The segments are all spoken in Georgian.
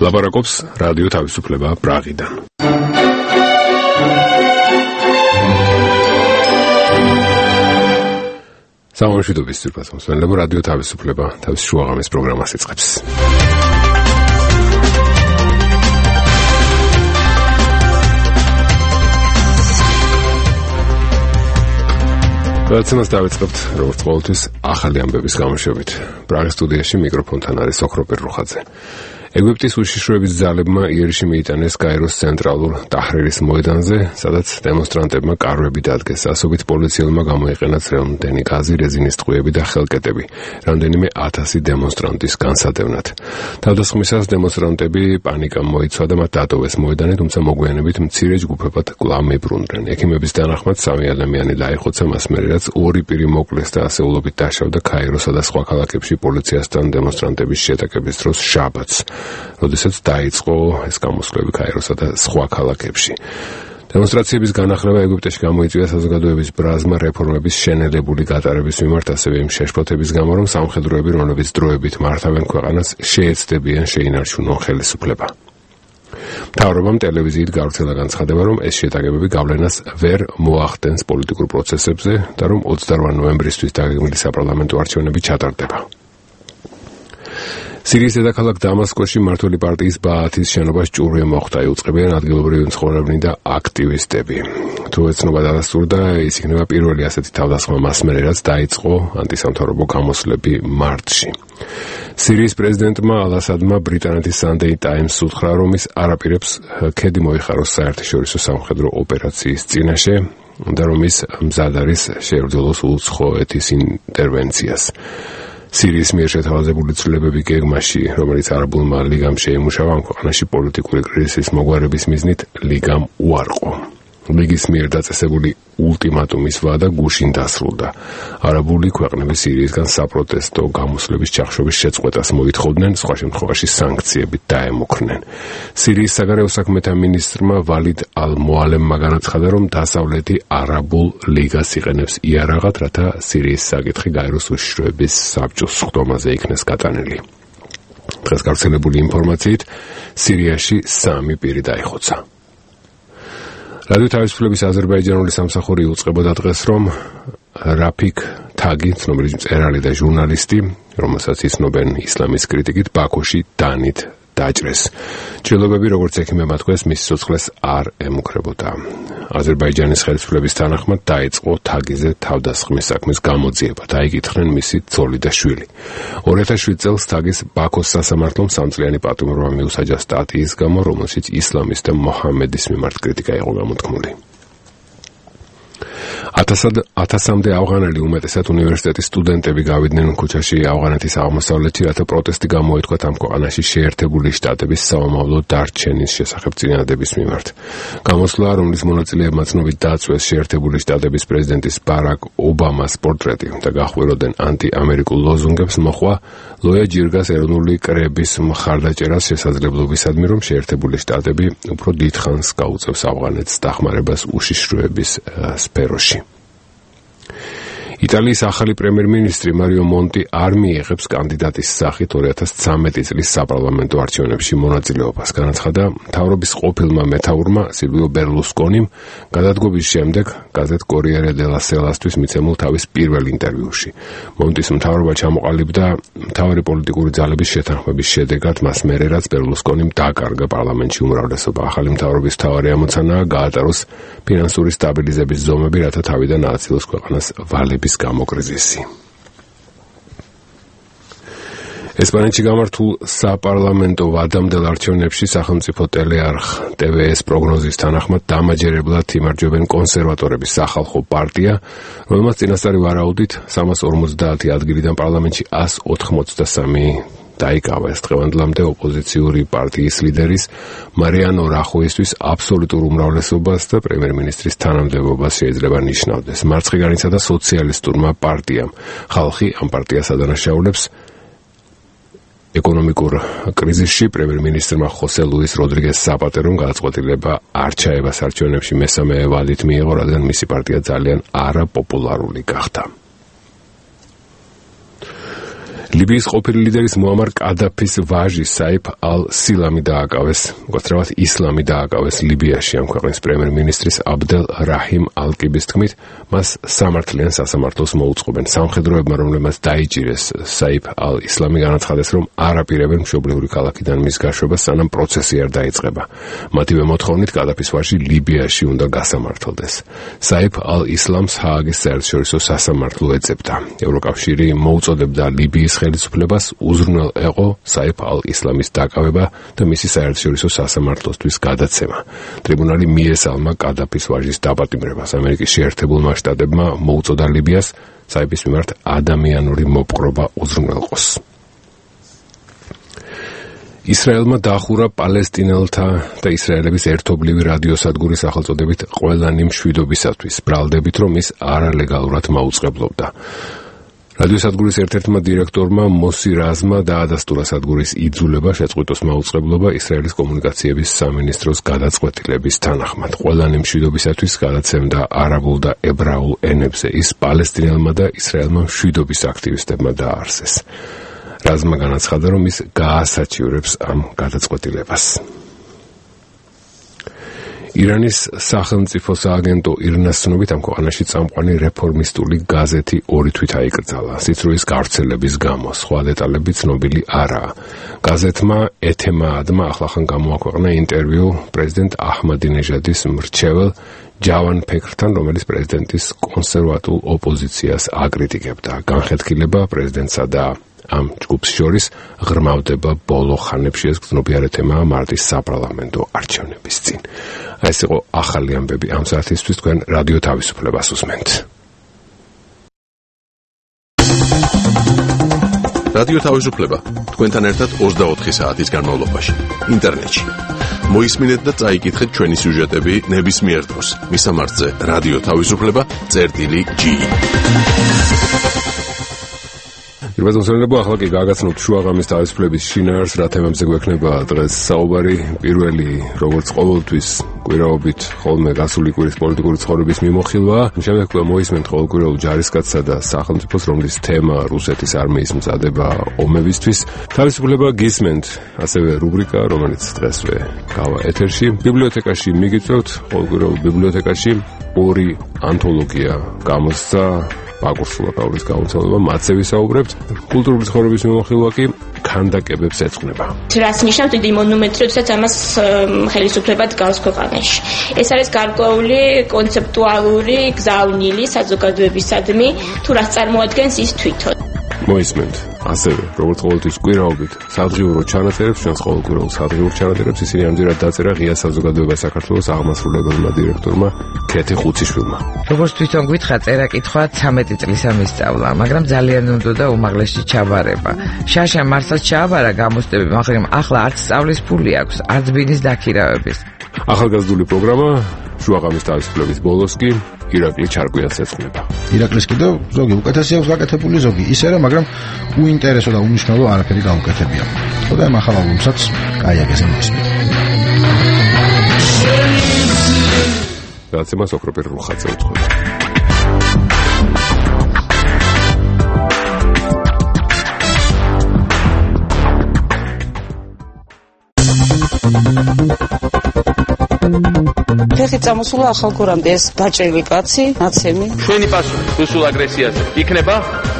ლაპარაკობს რადიო თავისუფლება პრაღიდან. სამშვიდობის ძირფას მოსვენებო რადიო თავისუფლება თავის შუაღამის პროგრამას იწყებს. გადაცემას დავიწყებთ როგორც ყოველთვის ახალი ამბების გამოშვებით. პრაღის სტუდიაში მიკროფონთან არის ოქროპერ რუხაძე. ეგვიპტის უშიშროების ძალებმა იერიში მიიტანეს კაიროს ცენტრალურ ტაჰრირის მოედანზე, სადაც დემონსტრანტებმა კარვები დადგეს. ასობით პოლიციელმა გამოიყენათ რამდენი გაზი, რეზინის ტყვიები და ხელკეტები, რამდენიმე 1000 დემონსტრანტის განსადევნად. თავდასხმისას დემონსტრანტები პანიკამ მოიცვა და მათ დატოვეს მოედანი, თუმცა მოგვიანებით მცირე ჯგუფებად კვლავ მიბრუნდნენ. ექიმების თანახმად 3 ადამიანი დაიხოცა მას მერე, რაც 2 პირი მოკლეს და ასეულობით დაშავდა ქაიროსა და სხვა ქალაქებში პოლიციასთან დემონსტრანტების შეტაკების დროს შაბათს, როდესაც დაიწყო ეს გამოსვლები ქაიროსა და სხვა ქალაქებში. დემონსტრაციების განახლება ეგვიპტეში გამოიწვია საზოგადოების ბრაზმა რეფორმების შენელებული გატარების მიმართ, ასევე იმ შეშფოთების გამო, რომ სამხედროები, რომლებიც დროებით მართავენ ქვეყანას, შეეცდებიან შეინარჩუნონ ხელისუფლება. მთავრობამ ტელევიზიით გავრცელა განცხადება, რომ ეს შეტაკებები გავლენას ვერ მოახდენს პოლიტიკურ პროცესებზე და რომ 28 ნოემბრისთვის დაგეგმილი საპარლამენტო არჩევნები ჩატარდება. სირიის დედაქალაქ დამასკოში მმართველი პარტიის ბაათის შენობას ჭურვი მოხვდა, იუწყებიან ადგილობრივი მცხოვრებნი და აქტივისტები. თუ ეცნობა დადასტურდა, ის იქნება პირველი ასეთი თავდასხმა მას მერე, რაც დაიწყო ანტისამთავრობო გამოსვლები მარტში. სირიის პრეზიდენტმა ალ-ასადმა ბრიტანეთის Sunday Times უთხრა, რომ ის არაპირებს ქედი მოიხაროს საერთაშორისო სამხედრო ოპერაციის წინაშე და რომ ის მზად არის შეებრძოლოს უცხოეთის ინტერვენციას. სირიის მიერ შეთავაზებული ცვლილებები გეგმაში, რომელიც არაბულმა ლიგამ შეიმუშავა, ამ ქვეყანაში პოლიტიკური კრიზისის მოგვარების მიზნით ლიგამ უარყო. ლიგის მიერ დაწესებული ულტიმატუმის ვადა გუშინ დასრულდა. არაბული ქვეყნები სირიისგან საპროტესტო გამოსვლების ჩახშობის შეწყვეტას მოითხოვდნენ, სხვა შემთხვევაში სანქციებით დაემუქრნენ. სირიის საგარეო საქმეთა მინისტრმა ვალიდ ალ-მოალემმა განაცხადა, რომ დასავლეთი არაბულ ლიგას იყენებს იარაღად, რათა სირიის საკითხი გაეროს უშიშროების საბჭოს სხდომაზე იქნეს გატანილი. დღეს გავრცელებული ინფორმაციით სირიაში 3 პირი დაიხოცა. რადიო თავისუფლების აზერბაიჯანული სამსახური იუწყებოდა დღეს, რომ რაფიქ თაგი, ცნობილი მწერალი და ჟურნალისტი, რომელსაც იცნობენ ისლამის კრიტიკით, ბაქოში დანით დაჭრეს. ჭრილობები, როგორც ექიმებმა თქვეს, მის სიცოცხლეს არ ემუქრებოდა. აზერბაიჯანის ხელისუფლების თანახმად დაიწყო თაგიზე თავდასხმის საქმის გამოძიება, დაიკითხნენ მისი ცოლი და შვილი. 2007 წელს თაგის ბაქოს სასამართლომ 3 წლიანი პატიმრობა მიუსაჯა სტატიის გამო, რომელშიც ისლამის და მოჰამედის მიმართ კრიტიკა იყო გამოთქმული. 1000-მდე ავღანელი, უმეტესად უნივერსიტეტის სტუდენტები გავიდნენ ქუჩაში ავღანეთის აღმოსავლეთში, რათა პროტესტი გამოეთქვათ ამ ქვეყანაში შეერთებული შტატების საომავლო დარჩენის შესახებ წინადადების მიმართ. გამოსვლა, რომლის მონაწილეებმა ცნობით დაწვეს შეერთებული შტატების პრეზიდენტის ბარაკ ობამას პორტრეტი და გახვიროდნენ ანტიამერიკულ ლოზუნგებს, მოხვა ლოია ჯირგას ეროვნული კრების მხარდაჭერას შესაძლებლობისადმი, რომ შეერთებული შტატები უფრო დიდხანს გაუწევს ავღანეთს დახმარებას უშიშროების სფეროში. იტალიის ახალი პრემიერ-მინისტრი მარიო მონტი არ მიიღებს კანდიდატის სახით 2013 წლის საპარლამენტო არჩევნებში მონაწილეობას. განაცხადა მთავრობის ყოფილმა მეთაურმა სილვიო ბერლუსკონიმ გადადგობის შემდეგ გაზეთ კორიერე დელა სელასთვის მიცემულ თავის პირველ ინტერვიუში. მონტის მთავრობა ჩამოყალიბდა მთავარი პოლიტიკური ძალების შეთანხმების შედეგად მას მერე, რაც ბერლუსკონიმ დაკარგა პარლამენტში უმრავლესობა. ახალი მთავრობის მთავარი ამოცანაა გაატაროს ფინანსური სტაბილიზების ზომები, რათა თავიდან ააცილოს ქვეყანას ვალების გამოკრიზისი. ესპანეთში გამართულ საპარლამენტო ვადამდელ არჩევნებში სახელმწიფო ტელეარხ TVS პროგნოზის თანახმად დამაჯერებლად იმარჯვებენ კონსერვატორების სახალხო პარტია, რომელმაც წინასწარი ვარაუდით 350 ადგილიდან პარლამენტში 183 დაიკავა. ეს დღევანდლამდე ოპოზიციური პარტიის ლიდერის მარიანო რახოისთვის აბსოლუტურ უმრავლესობას და პრემიერ-მინისტრის თანამდებობას შეიძლება ნიშნავდეს. მარცხნიგანისა და სოციალისტურმა პარტიამ ხალხი ამ პარტიას ადანაშაულებს ეკონომიკურ კრიზისში პრემიერ-მინისტრმა ხოსე ლუის როდრიგეს საპატერომ გადაწყვეტილება არ ჩაებას არჩევნებში მესამე ვადით მიიღო, რადგან მისი პარტია ძალიან არაპოპულარული გახდა. ლიბიის ყოფილი ლიდერის მუამარ კადაფის ვაჟი საიფ ალ-სილამი დააკავეს, უბრალოდ ისლამი დააკავეს ლიბიაში. ამ ქვეყნის პრემიერ-მინისტრის აბდელ რაჰიმ ალ-კიბის თქმით, მას სამართლიან სასამართლოს მოუწყობენ. სამხედროებმა, რომლებმაც დაიჭირეს საიფ ალ-ისლამი, განაცხადეს, რომ არ აპირებენ მშობლიური ქალაქიდან მის გაშვებას, სანამ პროცესი არ დაიწყება. მათივე მოთხოვნით კადაფის ვაჟი ლიბიაში უნდა გასამართლდეს. საიფ ალ-ისლამს ჰააგის საერთაშორისო სასამართლო ეძებდა. ევროკავშირი მოუწოდებდა ლიბიის ხელისუფლებას უზრუნველ ეყო საიფ ალ-ისლამის დაკავება და მისი საერთაშორისო სასამართლოსთვის გადაცემა. ტრიბუნალი მიესალმა კადაფის ვაჟის დაპატიმრებას. ამერიკის შეერთებულმა შტატებმა მოუწოდა ლიბიას საიფის მიმართ ადამიანური მოპყრობა უზრუნველყოს. ისრაელმა დაახურა პალესტინელთა და ისრაელების ერთობლივი რადიოსადგურის სახელწოდებით ყველანი მშვიდობისათვის, ბრალდებით, რომ ის არალეგალურად მაუწყებლობდა. რადიოსადგურის ერთ-ერთმა დირექტორმა მოსი რაზმა დაადასტურა სადგურის იძულება შეწყვიტოს მაუწყებლობა ისრაელის კომუნიკაციების სამინისტროს გადაწყვეტილების თანახმად. ყველანი მშვიდობისათვის გადაცემდა არაბულ და ებრაულ ენებზე. ის პალესტინელმა და ისრაელმა მშვიდობის აქტივისტებმა დააარსეს. რაზმა განაცხადა, რომ ის გაასაჩივრებს ამ გადაწყვეტილებას. ირანის სახელმწიფო სააგენტო ირნას ცნობით ამ ქვეყანაში წამყვანი რეფორმისტული გაზეთი 2 თვით აიკრძალა სიცრუის გავრცელების გამო. სხვა დეტალები ცნობილი არაა. გაზეთმა ეთემაადმა ახლახან გამოაქვეყნა ინტერვიუ პრეზიდენტ აჰმადინეჟადის მრჩეվել ჯავან ფექრთან, რომელიც პრეზიდენტის კონსერვატულ ოპოზიციას აკრიტიკებდა. განხეთქილება პრეზიდენტსა და ამ ჯგუფს შორის ღრმავდება ბოლო ხანებში. ეს გრძნობიარე თემაა მარტის საპარლამენტო არჩევნების წინ. ეს იყო ახალი ამბები ამ საათისთვის. თქვენ რადიო თავისუფლებას უსმენთ. რადიო თავისუფლება თქვენთან ერთად 24 საათის განმავლობაში ინტერნეტში. მოისმინეთ და წაიკითხეთ ჩვენი სიუჟეტები ნებისმიერ დროს. მისამართზე რადიო თავისუფლება.gi. ირბაზონსელებო, ახლა კი გაგაცნობთ შუაღამის თავისუფლების შინაარსს, რა თემებზე გვექნება დღეს საუბარი. პირველი, როგორც ყოველთვის, კვირაობით ხოლმე გასული კვირის პოლიტიკური ცხოვრების მიმოხილვა. შემდეგ მოისმენთ ყოველკვირეულ ჯარისკაცსა და სახელმწიფოს, რომლის თემა რუსეთის არმიის მზადება ომებისთვის. თავისუფლება გისმენთ, ასევე რუბრიკა, რომელიც დღესვე გავა ეთერში. ბიბლიოთეკაში მიგიწევთ, ყოველკვირეულ ბიბლიოთეკაში 2 ანთოლოგია გამოსცა. აკურსულაკაურის გამოცემება, მათზე ვისაუბრებთ. კულტურული ცხოვრების მიმოხილვა კი ქანდაკებებს ეძღვნება. რას ნიშნავს დიდი მონუმენტი, როდესაც ამას ხელისუფლება დგავს ქვეყანაში. ეს არის გარკვეული კონცეპტუალური გზავნილი საზოგადოებისადმი, თუ რას წარმოადგენს ის თვითონ. მოისმენთ ასევე, როგორც ყოველთვის კვირაობით, სადღიურო ჩანაწერებს, ჩვენს ყოველკვირეულ სადღიურ ჩანაწერებს, ისინი ამჯერად დაწერა ღია საზოგადოება საქართველოს აღმასრულებელმა დირექტორმა ქეთი ხუციშვილმა. როგორც თვითონ გითხრა, წერა-კითხვა 13 წლისა მისწავლა, მაგრამ ძალიან უნდა უმაღლესი ჩაბარება. შაშა მარსაც ჩააბარა გამოსტები, მაგრამ ახლა არც სწავლის ფული აქვს, არც ბინის დაქირავების. ახალგაზრდული პროგრამა შუაღამის თავისუფლების ბოლოს კი ირაკლი ჩარკვიანს ეძღვნება. ირაკლის კიდევ ზოგი უკეთესი აქვს გაკეთებული, ზოგი ისე რა, მაგრამ უინტერესო და უნიშნელო არაფერი გაუკეთებია. ხოდა ამ ახალ ალბომსაც კაიაგეზე მოსმით. გადაცემა სოფროპერ რუხაძე უძღვება. ფეხი წამოსულა ახალგორამდე ეს ბაჭელი კაცი, ნაცემი. ჩვენი პასუხი რუსულ აგრესიაზე იქნება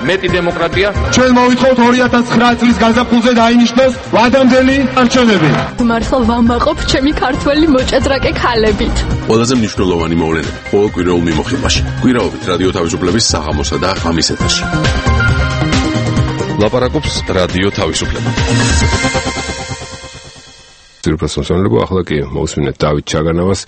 მეტი დემოკრატია. ჩვენ მოვითხოვთ 2009 წლის გაზაფხულზე დაინიშნოს ვადამდელი არჩევნები. მართლა ვამაყობ ჩემი ქართველი მოჭადრაკე ქალებით. ყველაზე მნიშვნელოვანი მოვლენები ყოველ კვირაულ მიმოხილვაში. კვირაობით რადიო თავისუფლების საღამოსა და ღამის ეთერში. ლაპარაკობს რადიო თავისუფლება. ძირფასონსონლებო, ახლა კი მოусმინეთ დავით ჩაგანავას.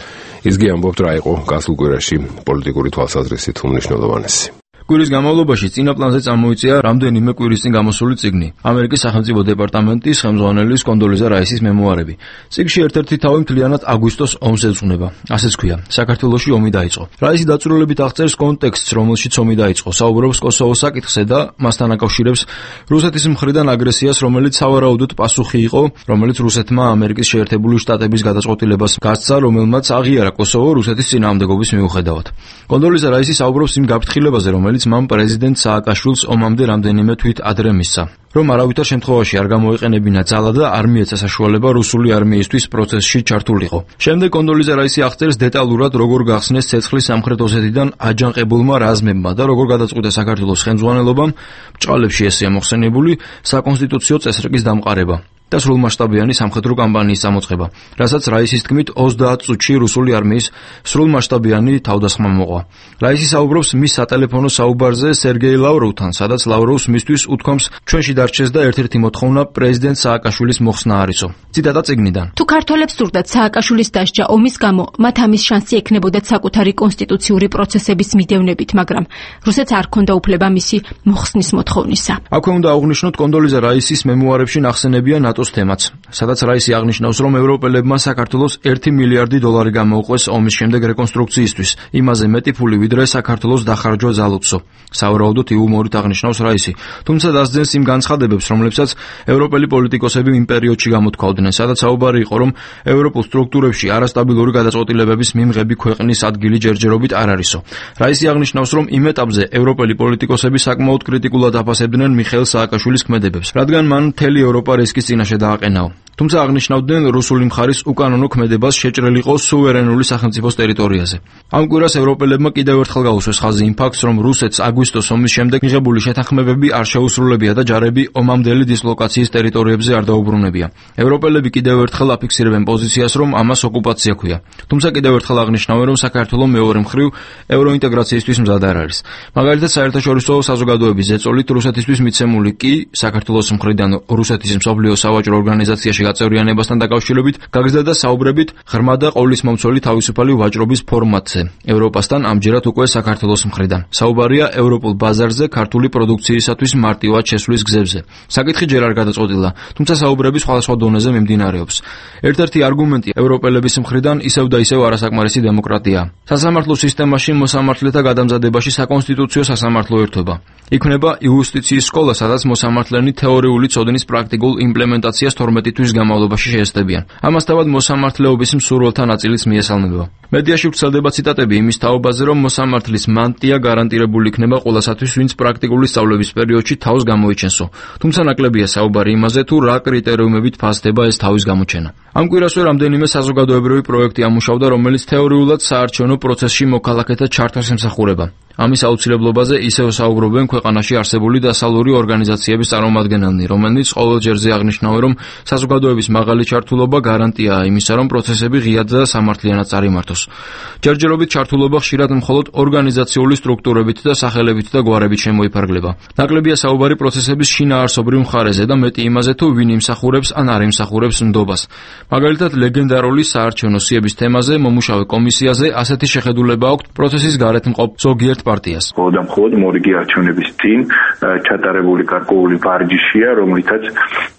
ისგი ამბობთ რა იყო გასულ კვირაში პოლიტიკური თვალსაზრისით უმნიშვნელოვანესი. კვირის განმავლობაში წინა პლანზე წამოიწია რამდენიმე კვირის წინ გამოსული წიგნი. ამერიკის სახელმწიფო დეპარტამენტის ხელმძღვანელის კონდოლიზა რაისის მემუარები. წიგნში ერთ-ერთი თავი მთლიანად აგვისტოს ომს ეძღვნება. ასეც ქვია, საქართველოში ომი დაიწყო. რაისი დაწვრილებით აღწერს კონტექსტს, რომელშიც ომი დაიწყო. საუბრობს კოსოვოს საკითხზე და მასთან აკავშირებს რუსეთის მხრიდან აგრესიას, რომელიც სავარაუდოდ პასუხი იყო, რომელიც რუსეთმა ამერიკის შეერთებული შტატების გადაწყვეტილებას გასცა, რომელმაც აღიარა კოსოვო რუსეთის წინააღმდეგობის მიუხედავად. კონდოლიზა რაისი საუბრობს იმ გაფრთხილებაზე, რომელიც მან პრეზიდენტ სააკაშვილს ომამდე რამდენიმე თვით ადრე მისცა. რომ არავითარ შემთხვევაში არ გამოიყენებინა ძალა და არ მიეცა საშუალება რუსული არმიისთვის პროცესში ჩართულიყო. შემდეგ კონდოლიზა რაისი აღწერს დეტალურად, როგორ გახსნეს ცეცხლის სამხრეთ ოსეთიდან აჯანყებულმა რაზმებმა და როგორ გადაწყვიტა საქართველოს ხელმძღვანელობამ ბჭყალებში ესეა მოხსენებული საკონსტიტუციო წესრიგის დამყარება და სრულმასშტაბიანი სამხედრო კამპანიის წამოწყება, რასაც რაისის თქმით 30 წუთში რუსული არმიის სრულმასშტაბიანი თავდასხმა მოყვა. რაისი საუბრობს მის სატელეფონო საუბარზე სერგეი ლავროვთან, სადაც ლავროვს მისთვის უთქვამს ჩვენში დარჩეს და ერთ-ერთი მოთხოვნა პრეზიდენტ სააკაშვილის მოხსნა არისო. ციტატა წიგნიდან. თუ ქართველებს სურდათ სააკაშვილის დასჯა ომის გამო, მათ ამის შანსი ექნებოდათ საკუთარი კონსტიტუციური პროცესების მიდევნებით, მაგრამ რუსეთს არ ჰქონდა უფლება მისი მოხსნის მოთხოვნისა. აქვე უნდა აღვნიშნოთ კონდოლიზა რაისის მემუარებში ნახსენებია ნატოს თემაც, სადაც რაისი აღნიშნავს, რომ ევროპელებმა საქართველოს 1 მილიარდი დოლარი გამოუყვეს ომის შემდეგ რეკონსტრუქციისთვის, იმაზე მეტი ფული ვიდრე საქართველოს დახარჯვა ძალუცო. სავარაუდოდ იუმორით აღნიშნავს რაისი, თუმცა დასძენს იმ განცხადებებს, რომლებსაც ევროპელი პოლიტიკოსები იმ პერიოდში გამოთქვავდნენ, სადაც საუბარი იყო, რომ ევროპულ სტრუქტურებში არასტაბილური გადაწყვეტილებების მიმღები ქვეყნის ადგილი ჯერჯერობით არ არისო. რაისი აღნიშნავს, რომ იმ ეტაპზე ევროპელი პოლიტიკოსები საკმაოდ კრიტიკულად აფასებდნენ მიხეილ სააკაშვილის ქმედებებს, რადგან მან მთელი ევროპა რისკის წინაშე დააყენაო. თუმცა აღნიშნავდნენ რუსული მხარის უკანონო ქმედებას შეჭრილიყო სუვერენული სახელმწიფოს ტერიტორიაზე. ამ კვირას ევროპელებმა კიდევ ერთხელ გაუსვეს ხაზი იმ ფაქტს, რომ რუსეთს აგვისტოს ომის შემდეგ მიღებული შეთანხმებები არ შეუსრულებია და ჯარები ომამდელი დისლოკაციის ტერიტორიებზე არ დაუბრუნებია. ევროპელები კიდევ ერთხელ აფიქსირებენ პოზიციას, რომ ამას ოკუპაცია ჰქვია. თუმცა კიდევ ერთხელ აღნიშნავენ, რომ საქართველო მეორე მხრივ ევროინტეგრაციისთვის მზად არ არის. მაგალითად, საერთაშორისო საზოგადოების ზეწოლით რუსეთისთვის მიცემული კი საქართველოს მხრიდან რუსეთის მსოფლიო სავაჭრო ორგანიზაციაში გაწევრიანებასთან დაკავშირებით გაგზდა და საუბრებით ღრმა და ყოვლისმომცველი თავისუფალი ვაჭრობის ფორმატზე ევროპასთან, ამჯერად უკვე საქართველოს მხრიდან. საუბარია ევროპულ ბაზარზე ქართული პროდუქციისათვის მარტივად შესვლის გზებზე. საკითხი ჯერ არ გადაწყვეტილა, თუმცა საუბრები სხვადასხვა დონეზე მიმდინარეობს. ერთ-ერთი არგუმენტი ევროპელების მხრიდან ისევ და ისევ არასაკმარისი დემოკრატია. სასამართლო სისტემაში მოსამართლეთა გადამზადებაში საკონსტიტუციო სასამართლო ერთობა. იქმნება იუსტიციის სკოლა, სადაც მოსამართლენი თეორიული ცოდნის პრაქტიკულ იმპლემენტაციას 12 თვის განმავლობაში შეესწებიან. ამასთავად მოსამართლეობის მსურველთა ნაწილიც მიესალმება. მედიაში ვრცელდება ციტატები იმის თაობაზე, რომ მოსამართლის მანტია გარანტირებული იქნება ყველასათვის, ვინც პრაქტიკული სწავლების პერიოდში თავს გამოიჩენსო. თუმცა ნაკლებია საუბარი იმაზე, თუ რა კრიტერიუმებით ფასდება ეს თავის გამოჩენა. ამ კვირასვე რამდენიმე საზოგადოებრივი პროექტი ამუშავდა, რომელიც თეორიულად საარჩევნო პროცესში მოქალაქეთა ჩართვას ემსახურება. ამის აუცილებლობაზე ისევ საუბრობენ ქვეყანაში არსებული დასავლური ორგანიზაციების წარმომადგენელნი, რომელნიც ყოველ ჯერზე აღნიშნავენ, რომ საზოგადოების მაღალი ჩართულობა გარანტიაა იმისა, რომ პროცესები ღიად და სამართლიანად წარიმართოს. ჯერჯერობით ჩართულობა ხშირად მხოლოდ ორგანიზაციული სტრუქტურებით და სახელებით და გვარებით შემოიფარგლება. ნაკლებია საუბარი პროცესების შინაარსობრივ მხარეზე და მეტი იმაზე, თუ ვინ იმსახურებს ან არ იმსახურებს ნდობას. მაგალითად, ლეგენდარული საარჩევნო სიების თემაზე მომუშავე კომისიაზე ასეთი შეხედულება აქვს პროცესის გარეთ მყოფ ზოგიერთ პარტიას. მხოლოდ მორიგი არჩევნების წინ ჩატარებული გარკვეული ვარჯიშია, რომლითაც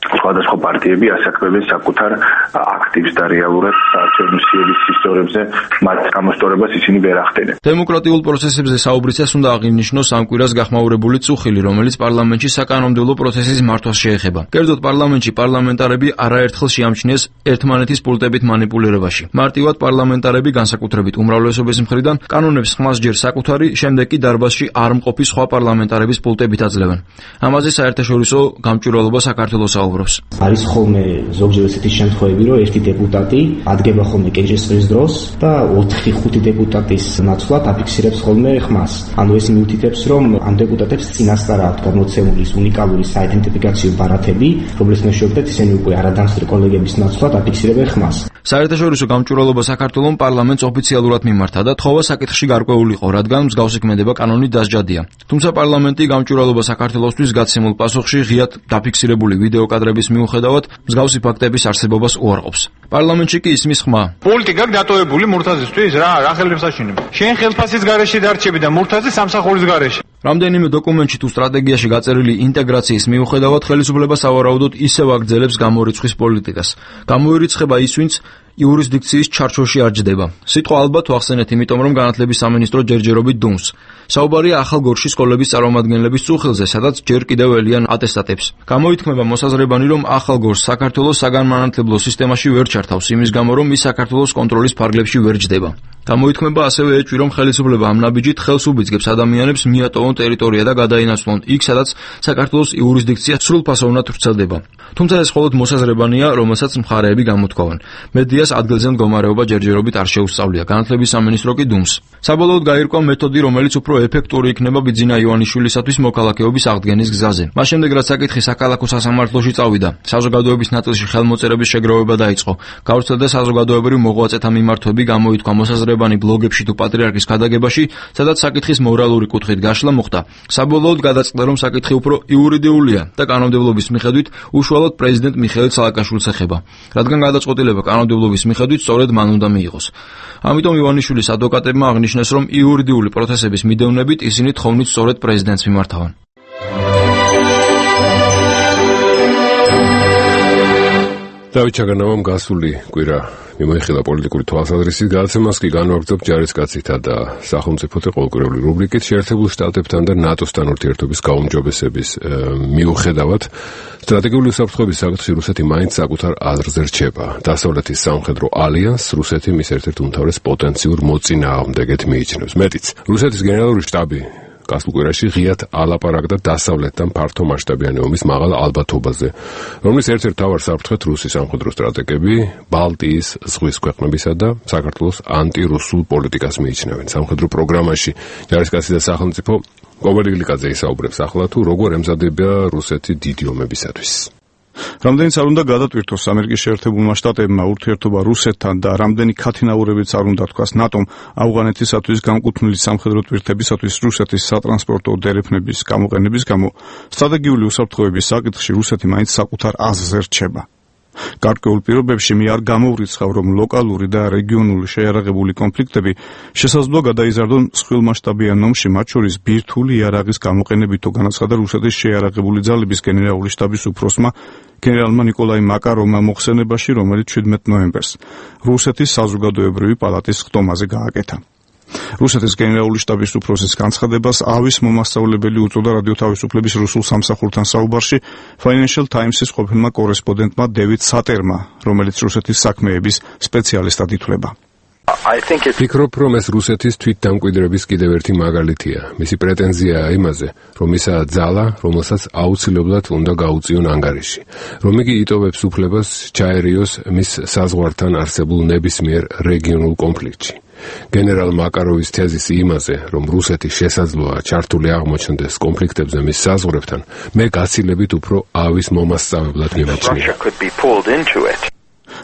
სხვადასხვა პარტიები ასაკრებენ საკუთარ აქტივს და რეალურად საარჩევნო სიების ისტორიებზე მათ გამოსწორებას ისინი ვერ ახდენენ. დემოკრატიულ პროცესებზე საუბრისას უნდა აღინიშნოს ამ კვირას გახმაურებული წუხილი, რომელიც პარლამენტში საკანონმდებლო პროცესის მართვას შეეხება. კერძოდ პარლამენტში პარლამენტარები არაერთხელ შეამჩნიეს ერთმანეთის პულტებით მანიპულირებაში. მარტივად პარლამენტარები განსაკუთრებით უმრავლესობის მხრიდან კანონებს ხმას ჯერ საკუთარი, შემდეგ კი დარბაზში არ მყოფი სხვა პარლამენტარების პულტებით აძლევენ. ამაზე საერთაშორისო გამჭვირვალობა საქართველოს საუბრობს. არის ხოლმე ზოგჯერ ესეთი შემთხვევები, რომ ერთი დეპუტატი ადგება ხოლმე კეჭესყრის დროს და 4-5 დეპუტატის ნაცვლად აფიქსირებს ხოლმე ხმას. ანუ ეს მიუთითებს, რომ ამ დეპუტატებს წინასწარ აქვთ გამოცემული უნიკალური საიდენტიფიკაციო ბარათები, რომლის მეშვეობით ისინი უკვე არადამსწრე კოლეგების ნაცვლად აფიქსირებენ ხმას. საერთაშორისო გამჭვირვალობა საქართველოს პარლამენტს ოფიციალურად მიმართა და თხოვა საკითხში გარკვეულიყო, რადგან მსგავსი ქმედება კანონით დასჯადია. თუმცა პარლამენტი გამჭვირვალობა საქართველოსთვის გაცემულ პასუხში ღიად დაფიქსირებული ვიდეო კადრების მიუხედავად მსგავსი ფაქტების არსებობას უარყოფს. პარლამენტში კი ისმის ხმა. პოლიტიკა დატოვებული მურთაზისთვის რა ხელებს აშენებ. შენ ხელფასის გარეშე დარჩები და მურთაზი სამსახურის გარეშე. რამდენიმე დოკუმენტში თუ სტრატეგიაში გაწერილი ინტეგრაციის მიუხედავად ხელისუფლება სავარაუდოდ ისევ აგრძელებს გამორიცხვის პოლიტიკას. გამოირიცხება ის, ვინც იურისდიქციის ჩარჩოში არ ჯდება. სიტყვა ალბათ ვახსენეთ, იმიტომ რომ განათლების სამინისტრო ჯერჯერობით დუმს. საუბარია ახალ გორში სკოლების წარმომადგენლების წუხილზე, სადაც ჯერ კიდევ ელიან ატესტატებს. გამოითქმება მოსაზრებანი, რომ ახალ გორს საქართველოს საგანმანათლებლო სისტემაში ვერ ჩართავს, იმის გამო, რომ ის საქართველოს კონტროლის ფარგლებში ვერ ჯდება. გამოითქმება ასევე ეჭვი, რომ ხელისუფლება ამ ნაბიჯით ხელს უბიძგებს ადამიანებს მიატოვონ ტერიტორია და გადაინაცვლონ იქ, სადაც საქართველოს იურისდიქცია სრულფასოვნად ვრცელდება. თუმცა ეს მხოლოდ მოსაზრებანია, რომელსაც მხარეები გამოთქვამენ. მედიას ადგილზე მდგომარეობა ჯერჯერობით არ შეუსწავლია. განათლების სამინისტრო კი დუმს. საბოლოოდ გაირკვა მეთოდი, რომელიც უფრო ეფექტური იქნება ბიძინა ივანიშვილისათვის მოქალაქეობის აღდგენის გზაზე. მას შემდეგ, რაც საკითხი საქალაქო სასამართლოში წავიდა, საზოგადოების ნაწილში ხელმოწერების შეგროვება დაიწყო. გავრცელდა საზოგადოებრივი მოღვაწეთა მიმართვები, გამოითქვა მოსაზრებანი ბლოგებში თუ პატრიარქის ქადაგებაში, სადაც საკითხის მორალური კუთხით გაშლა მოხდა. საბოლოოდ გადაწყდა, რომ საკითხი უფრო იურიდიულია და კანონმდებლობის მიხედვით უშუალოდ პრეზიდენტ მიხეილ სააკაშვილს ეხება. რადგან გადაწყვეტილება კანონმდებლობის მიხედვით სწორედ მან უნდა მიიღოს. ამიტომ ივანიშვილის ადვოკატებმა აღნიშნეს, რომ იურიდიული პროცესების მიდევნებით ისინი თხოვნით სწორედ პრეზიდენტს მიმართავენ. დავით ჩაგანავამ გასული კვირა მიმოიხილა პოლიტიკური თვალსაზრისით გადაცემას კი განვაგრძობ ჯარისკაცითა და სახელმწიფოთა ყოველკვირეული რუბრიკით შეერთებულ შტატებთან და ნატოსთან ურთიერთობის გაუმჯობესების მიუხედავად სტრატეგიული უსაფრთხოების საკითხში რუსეთი მაინც საკუთარ აზრზე რჩება. დასავლეთის სამხედრო ალიანსს რუსეთი მის ერთ-ერთ უმთავრეს პოტენციურ მოწინააღმდეგედ მიიჩნევს. მეტიც, რუსეთის გენერალური შტაბი გასულ კვირაში ღიად ალაპარაკდა დასავლეთთან ფართო მასშტაბიანი ომის მაღალ ალბათობაზე, რომლის ერთ-ერთ მთავარ საფრთხედ რუსი სამხედრო სტრატეგები ბალტიის ზღვის ქვეყნებისა და საქართველოს ანტირუსულ პოლიტიკას მიიჩნევენ. სამხედრო პროგრამაში ჯარისკაცი და სახელმწიფო კობელი გლიკაძე ისაუბრებს ახლა თუ როგორ ემზადება რუსეთი დიდი ომებისათვის. რამდენიც არ უნდა გადატვირთოს ამერიკის შეერთებულმა შტატებმა ურთიერთობა რუსეთთან და რამდენი ქათინაურებიც არ უნდა თქვას ნატომ ავღანეთისათვის განკუთვნილი სამხედრო ტვირთებისათვის რუსეთის სატრანსპორტო დერეფნების გამოყენების გამო სტრატეგიული უსაფრთხოების საკითხში რუსეთი მაინც საკუთარ აზრზე რჩება. გარკვეულ პირობებში მე არ გამოვრიცხავ, რომ ლოკალური და რეგიონული შეიარაღებული კონფლიქტები შესაძლოა გადაიზარდონ მსხვილმასშტაბიან ომში, მათ შორის ბირთვული იარაღის გამოყენებით, განაცხადა რუსეთის შეიარაღებული ძალების გენერალური შტაბის უფროსმა გენერალმა ნიკოლაი მაკაროვმა მოხსენებაში, რომელიც 17 ნოემბერს რუსეთის საზოგადოებრივი პალატის ხტომაზე გააკეთა. რუსეთის გენერალური შტაბის უფროსის განცხადებას ავის მომასწავლებელი უწოდა რადიო თავისუფლების რუსულ სამსახურთან საუბარში Financial Times-ის ყოფილმა კორესპონდენტმა დევიდ სატერმა, რომელიც რუსეთის საქმეების სპეციალისტად ითვლება. ფიქრობ, რომ ეს რუსეთის თვითდამკვიდრების კიდევ ერთი მაგალითია. მისი პრეტენზიაა იმაზე, რომ ისაა ძალა, რომელსაც აუცილებლად უნდა გაუწიონ ანგარიში, რომ იგი იტოვებს უფლებას ჩაერიოს მის საზღვართან არსებულ ნებისმიერ რეგიონულ კონფლიქტში. გენერალ მაკაროვის თეზისი იმაზე, რომ რუსეთი შესაძლოა ჩართული აღმოჩნდეს კონფლიქტებზე მის საზღვრებთან, მე გაცილებით უფრო ავის მომასწავლებლად მიმაჩნია.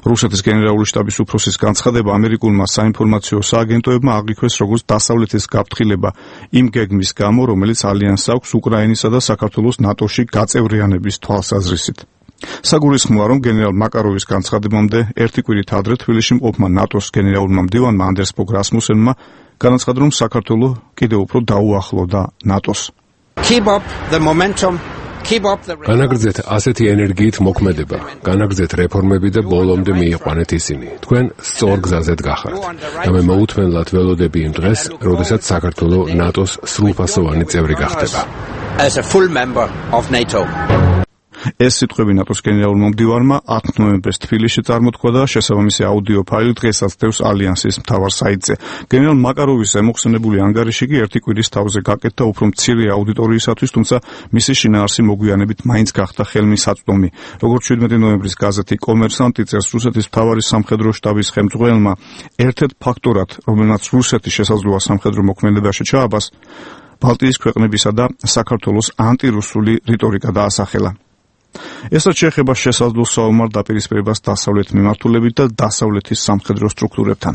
რუსეთის გენერალური შტაბის უფროსის განცხადება ამერიკულმა საინფორმაციო სააგენტოებმა აღიქვეს როგორც დასავლეთის გაფრთხილება იმ გეგმის გამო, რომელიც ალიანსს აქვს უკრაინისა და საქართველოს ნატოში გაწევრიანების თვალსაზრისით. საგულისხმოა, რომ გენერალ მაკაროვის განცხადებამდე ერთი კვირით ადრე თბილისში მყოფმა ნატოს გენერალურმა მდივანმა ანდერს ბოგ რასმუსენმა განაცხადა, რომ საქართველო კიდევ უფრო დაუახლოვდა ნატოს. განაგრძეთ ასეთი ენერგიით მოქმედება, განაგრძეთ რეფორმები და ბოლომდე მიიყვანეთ ისინი. თქვენ სწორ გზაზედ გახართ და მე მოუთმენლად ველოდები იმ დღეს, როდესაც საქართველო ნატოს სრულფასოვანი წევრი გახდება. ეს სიტყვები ნატოს გენერალურმა მდივანმა 10 ნოემბერს თბილისში წარმოთქვა და შესაბამისი აუდიო ფაილი დღესაც დევს ალიანსის მთავარ საიტზე. გენერალ მაკაროვის ემოხსენებული ანგარიში კი ერთი კვირის თავზე გაკეთდა უფრო მცირე აუდიტორიისათვის, თუმცა მისი შინაარსი მოგვიანებით მაინც გახდა ხელმისაწვდომი. როგორც 17 ნოემბრის გაზეთი კომერსანტი წერს, რუსეთის მთავარი სამხედრო შტაბის ხელმძღვანელმა ერთ-ერთ ფაქტორად, რომელმაც რუსეთი შესაძლოა სამხედრო მოქმედებაში ჩააბას, ბალტიის ქვეყნებისა და საქართველოს ანტირუსული რიტორიკა დაასახელა. ესაც შეეხება შესაძლო საომარ დაპირისპირებას დასავლეთ მიმართულებით და დასავლეთის სამხედრო სტრუქტურებთან.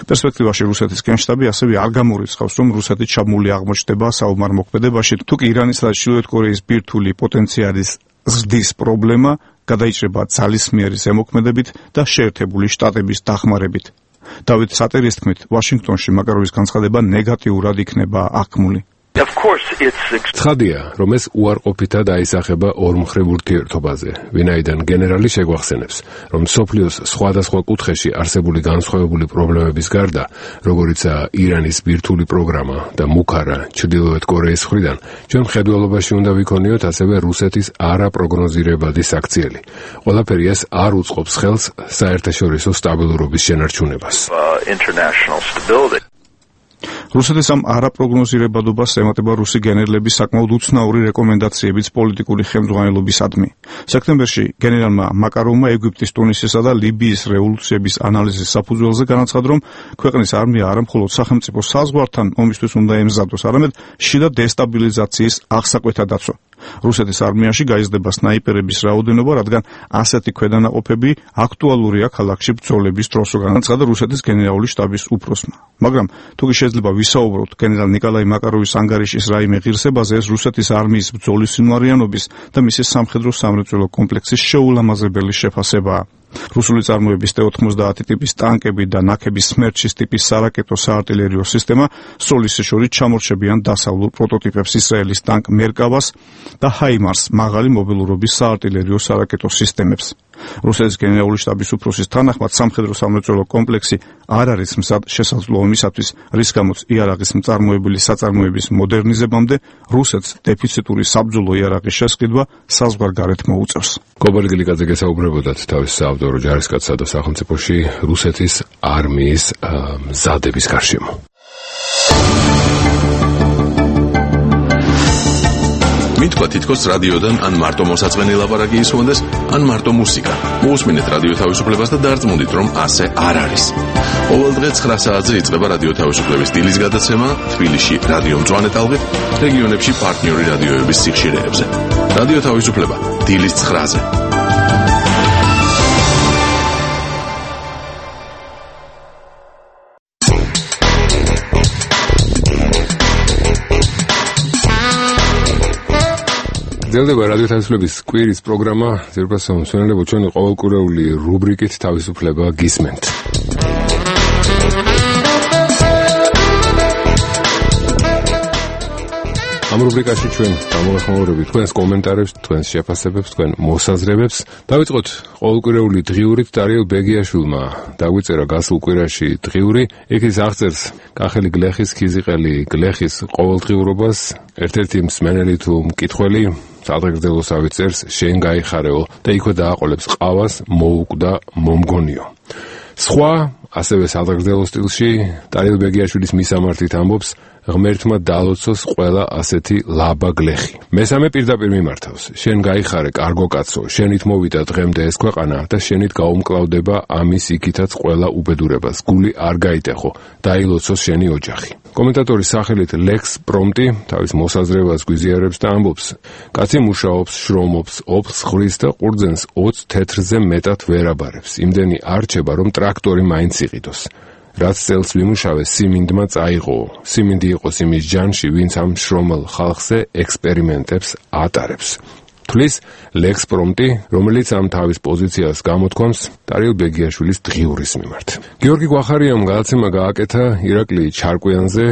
პერსპექტივაში რუსეთის გენშტაბი ასევე არ გამორიცხავს, რომ რუსეთი ჩაბმული აღმოჩნდება საომარ მოქმედებაში, თუ კი ირანისა და ჩრდილოეთ კორეის ბირთვული პოტენციალის ზრდის პრობლემა გადაიჭრება ძალისმიერი ზემოქმედებით და შეერთებული შტატების დახმარებით. დავით სატერის თქმით, ვაშინგტონში მაკაროვის განცხადება ნეგატიურად იქნება აღქმული. ცხადია, რომ ეს უარყოფითად აისახება ორმხრივ ურთიერთობაზე, ვინაიდან გენერალი შეგვახსენებს, რომ მსოფლიოს სხვადასხვა კუთხეში არსებული განსხვავებული პრობლემების გარდა, როგორიცაა ირანის ბირთვული პროგრამა და მუქარა ჩრდილოეთ კორეის მხრიდან, ჩვენ მხედველობაში უნდა ვიქონიოთ ასევე რუსეთის არაპროგნოზირებადი საქციელი. ყველაფერი ეს არ უწყობს ხელს საერთაშორისო სტაბილურობის შენარჩუნებას. რუსეთის ამ არაპროგნოზირებადობას ემატება რუსი გენერლების საკმაოდ უცნაური რეკომენდაციებიც პოლიტიკური ხელმძღვანელობისადმი. სექტემბერში გენერალმა მაკაროვმა ეგვიპტის, ტუნისისა და ლიბიის რევოლუციების ანალიზის საფუძველზე განაცხადა, რომ ქვეყნის არმია არა მხოლოდ სახელმწიფო საზღვართან ომისთვის უნდა ემზადოს, არამედ შიდა დესტაბილიზაციის აღსაკვეთად დაცვა. რუსეთის არმიაში გაიზრდება სნაიპერების რაოდენობა, რადგან ასეთი ქვედანაყოფები აქტუალურია ქალაქში ბრძოლების დროს, განაცხადა რუსეთის გენერალური შტაბის უფროსმა. მაგრამ თუ შეიძლება ვისაუბროთ გენერალ ნიკოლაი მაკაროვის ანგარიშის რაიმე ღირსებაზე, ეს რუსეთის არმიის ბრძოლის სინვარიანობის და მისი სამხედრო სამრეწველო კომპლექსის შეულამაზებელი შეფასებაა. რუსული წარმოების T-90 ტიპის ტანკები და ნაქების სმერჩის ტიპის სარაკეტო საარტილერიო სისტემა სოლისის შორის ჩამორჩებიან დასავლურ პროტოტიპებს ისრაელის ტანკ მერკავას და ჰაიმარს მაღალი მობილურობის საარტილერიო სარაკეტო სისტემებს. რუსეთის გენერალური შტაბის უფროსის თანახმად სამხედრო სამრეწველო კომპლექსი არ არის მსად შესაძლო ომისათვის, რის გამოც იარაღის მწარმოებელი საწარმოების მოდერნიზებამდე რუსეთს დეფიციტური საბრძოლო იარაღის შესყიდვა საზღვარგარეთ მოუწევს. გობალ გილიკაძე გესაუბრებოდათ თავის საავტორო ჯარისკაცსა და სახელმწიფოში რუსეთის არმიის მზადების გარშემო. მითქვა თითქოს რადიოდან ან მარტო მოსაწყენი ლაპარაკი ისმოდეს, ან მარტო მუსიკა. მოусმინეთ რადიო თავისუფლებას და დარწმუნდით, რომ ასე არ არის. ყოველ დღე 9 საათზე იწყება რადიო თავისუფლების დილის გადაცემა თბილისში რადიო მწვანე ტალღით, რეგიონებში პარტნიორი რადიოების სიხშირეებზე. რადიო თავისუფლება დილის 9-ზე. გრძელდება რადიო თავისუფლების კვირის პროგრამა, ზირფასო მსმენელებო, ჩვენი ყოველკვირეული რუბრიკით თავისუფლება გისმენთ. ამ რუბრიკაში ჩვენ გამოვეხმაურებით თქვენს კომენტარებს, თქვენს შეფასებებს, თქვენ მოსაზრებებს. დავიწყოთ ყოველკვირეული დღიურით. დარიელ ბეგიაშვილმა დაგვიწერა გასულ კვირაში დღიური. იქ ის აღწერს კახელი გლეხის, ქიზიყელი გლეხის ყოველდღიურობას. ერთ-ერთი მსმენელი თუ მკითხველი სადღეგრძელოს ავიწერს, შენ გაიხარეო და იქვე დააყოლებს ყავას, მოუკვდა მომგონიო. სხვა ასევე სადღეგრძელო სტილში დარიელ ბეგიაშვილის მისამართით ამბობს, ღმერთმა დალოცოს ყველა ასეთი ლაბა გლეხი. მესამე პირდაპირ მიმართავს, შენ გაიხარე კარგო კაცო, შენით მოვიდა დღემდე ეს ქვეყანა და შენით გაუმკლავდება ამის იქითაც ყველა უბედურებას. გული არ გაიტეხო, დაილოცოს შენი ოჯახი. კომენტატორის სახელით ლექს პრომტი თავის მოსაზრებას გვიზიარებს და ამბობს, კაცი მუშაობს, შრომობს, ოფს ხრის და ყურძენს 20 თეთრზე მეტად ვერ აბარებს. იმდენი არჩება, რომ ტრაქტორი მაინც იყიდოს. რაც წელს ვიმუშავე, სიმინდმა წაიღო. სიმინდი იყოს იმის ჯანში, ვინც ამ შრომელ ხალხზე ექსპერიმენტებს ატარებს. თulis ლექს პრომტი, რომელიც ამ თავის პოზიციას გამოთქვამს დარიელ ბეგიაშვილის დღიურის მიმართ. გიორგი გვახარიამ გადაცემა გააკეთა ირაკლი ჩარკვიანზე,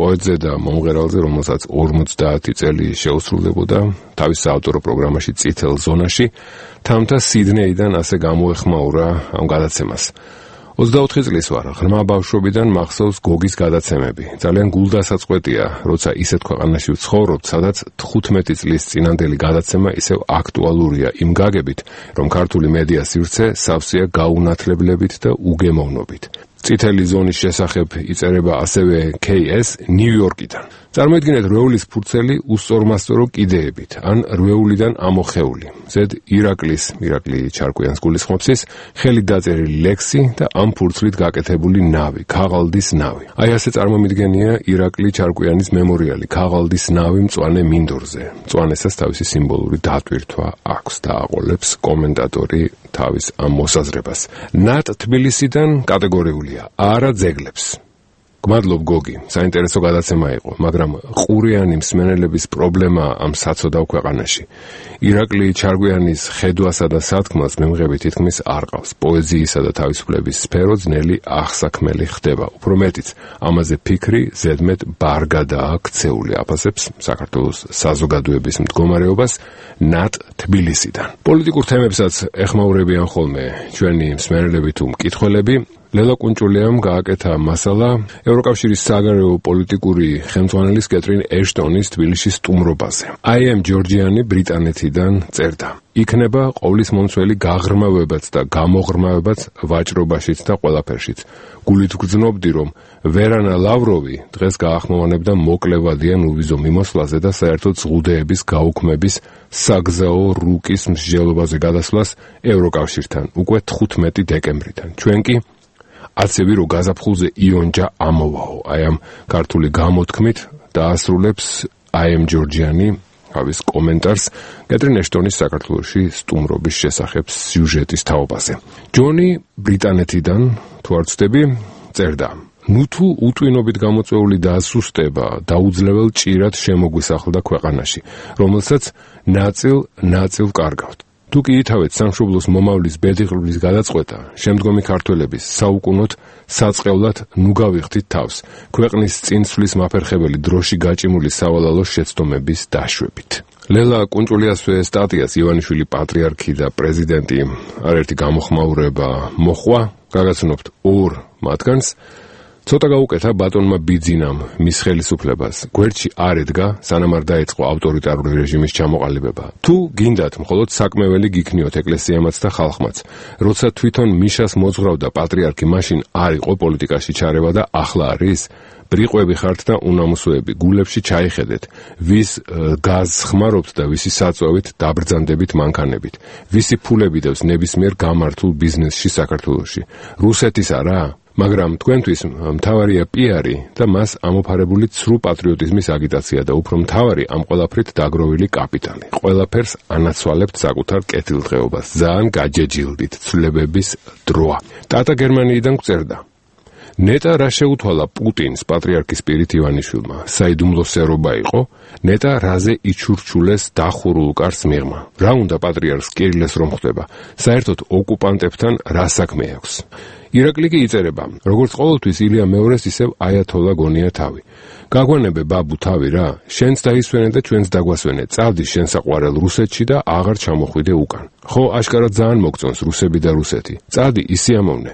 პოეტზე და მომღერალზე, რომელსაც 50 წელი შეუსრულდებოდა თავის საავტორო პროგრამაში წითელ ზონაში, თამთა სიდნეიდან ასე გამოეხმაურა ამ გადაცემას. 24 წლის ვარ, ღრმა ბავშვობიდან მახსოვს გოგის გადაცემები. ძალიან გულდასაწყვეტია, როცა ისეთ ქვეყანაში ვცხოვრობ, სადაც 15 წლის წინანდელი გადაცემა ისევ აქტუალურია იმ გაგებით, რომ ქართული მედია სივრცე სავსეა გაუნათლებლებით და უგემოვნობით. წითელი ზონის შესახებ იწერება ასევე KS ნიუ-იორკიდან. წარმოიდგინეთ რვეულის ფურცელი უსწორმასწორო კიდეებით, ან რვეულიდან ამოხეული. ზედ ირაკლი ჩარკვიანს გულისხმობს, ხელით დაწერილი ლექსი და ამ ფურცლით გაკეთებული ნავი, ქაღალდის ნავი. აი ასე წარმომიდგენია ირაკლი ჩარკვიანის მემორიალი, ქაღალდის ნავი მწვანე მინდორზე. მწვანესაც თავისი სიმბოლური დატვირთვა აქვს და აყოლებს კომენტატორი თავის ამ მოსაზრებას. ნატ თბილისიდან კატეგორიულია, არა ძეგლებს. გმადლობ გოგი, საინტერესო გადაცემა იყო, მაგრამ ყურიანი მსმენელების პრობლემა ამ საცოდავ ქვეყანაში. ირაკლი ჩარგვიანის ხედვასა და სათქმელს მემღები თითქმის არ ყავს. პოეზიისა და თავისუფლების სფერო ძნელი აღსაქმელი ხდება. უფრო მეტიც, ამაზე ფიქრი ზედმეტ ბარგადაა ქცეული, აფასებს საქართველოს საზოგადოების მდგომარეობას ნატ თბილისიდან. პოლიტიკურ თემებსაც ეხმაურებიან ხოლმე ჩვენი მსმენელები თუ მკითხველები. ლელა კუნჭულიამ გააკეთა მასალა ევროკავშირის საგარეო პოლიტიკური ხელმძღვანელის კეტრინ ეშტონის თბილისის სტუმრობაზე. I am Georgiani ბრიტანეთიდან წერდა. იქნება ყოვლის მომცველი გაღრმავებაც და გამოღრმავებაც ვაჭრობაშიც და ყველაფერშიც. გულით გრძნობდი, რომ ვერანა ლავროვი დღეს გაახმოვანებდა მოკლევადიან უვიზო მიმოსვლაზე და საერთოდ ზღუდეების გაუქმების საგზაო რუკის მსჯელობაზე გადასვლას ევროკავშირთან უკვე 15 დეკემბრიდან. ჩვენ კი აცები რო გაზაფხულზე იონჯა ამოვაო. აი ამ ქართული გამოთქმით დაასრულებს I am Georgiani თავის კომენტარს კეტრინ ეშტონის საქართველოში სტუმრობის შესახებ სიუჟეტის თაობაზე. ჯონი ბრიტანეთიდან თუ არ ვცდები წერდა. ნუ თუ უტვინობით გამოწვეული დასუსტება დაუძლებელ ჭირად შემოგვისახლდა ქვეყანაში, რომელსაც ნაწილ კარგავთ. თუ კი ითავეთ სამშობლოს მომავლის ბედიღრების გადაწყვეტა, შემდგომი ქართველების საუკუნოდ საწყევლად ნუ გავიხდით თავს, ქვეყნის წინსვლის მაფერხებელი დროში გაჭიმული სავალალო შეცდომების დაშვებით. ლელა კუნჭულიასვე სტატიას ივანიშვილი პატრიარქი და პრეზიდენტი არერთი გამოხმაურება მოხვა, გაგაცნობთ ორ მათგანს. ცოტა გაუკეთა ბატონმა ბიძინამ მის ხელისუფლებას. გვერდში არ ედგა, სანამ არ დაეწყო ავტორიტარული რეჟიმის ჩამოყალიბება. თუ გინდათ, მხოლოდ საკმეველი გიქნიოთ ეკლესიამაც და ხალხმაც. როცა თვითონ მიშას მოძღრავდა პატრიარქი, მაშინ არ იყო პოლიტიკაში ჩარევა და ახლა არის. ბრიყვები ხართ და უნამოსოები, გულებში ჩაიხედეთ, ვის გაზს ხმარობთ და ვისი საწვევით დაბრძანდებით მანქანებით. ვისი ფულები დევს ნებისმიერ გამართულ ბიზნესში საქართველოში. რუსეთის არა? მაგრამ თქვენთვის მთავარია პიარი და მას ამოფარებული ცრუ პატრიოტიზმის აგიტაცია და უფრო მთავარი ამ ყველაფრით დაგროვილი კაპიტალი. ყველაფერს ანაცვალებთ საკუთარ კეთილდღეობას. ძალიან გაჯეჯილდით ცვლილებების დროა. ტატა გერმანიიდან გწერდა. ნეტა რა შეუთვალა პუტინს პატრიარქის პირით ივანიშვილმა. საიდუმლო სერობა იყო, ნეტა რაზე იჩურჩულეს დახურულ კარს მიღმა. რა უნდა პატრიარქს კირილეს რომ ხვდება? საერთოდ ოკუპანტებთან რა საქმე აქვს? ირაკლი კი იწერება, როგორც ყოველთვის ილია მეორეს ისევ აიათოლა გონია თავი. გაგვანებე ბაბუ თავი რა, შენც დაისვენე და ჩვენც დაგვასვენე, წავდი შენ საყვარელ რუსეთში და აღარ ჩამოხვიდე უკან. ხო, აშკარად ძალიან მოგწონს რუსები და რუსეთი. წავდი ისიამოვნე.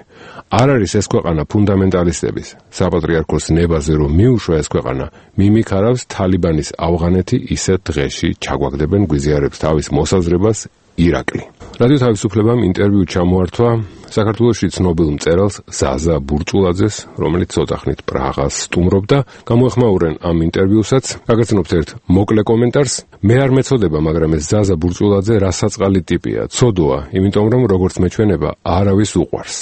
არ არის ეს ქვეყანა ფუნდამენტალისტების. საპატრიარქოს ნებაზე რომ მიუშვა ეს ქვეყანა, მიმიქარავს თალიბანის ავღანეთი ისეთ დღეში ჩაგვაგდებენ გვიზიარებს თავის მოსაზრებას ირაკლი. რადიო თავისუფლებამ ინტერვიუ ჩამოართვა საქართველოში ცნობილ მწერალს ზაზა ბურჭულაძეს, რომელიც ცოტახნით პრაღას სტუმრობდა. გამოეხმაურენ ამ ინტერვიუსაც, გაგაცნობთ ერთ მოკლე კომენტარს. მე არ მეწოდება, მაგრამ ეს ზაზა ბურჭულაძე რასაწყალი ტიპია, ცოდოა, იმიტომ რომ როგორც მეჩვენება, არავის უყვარს.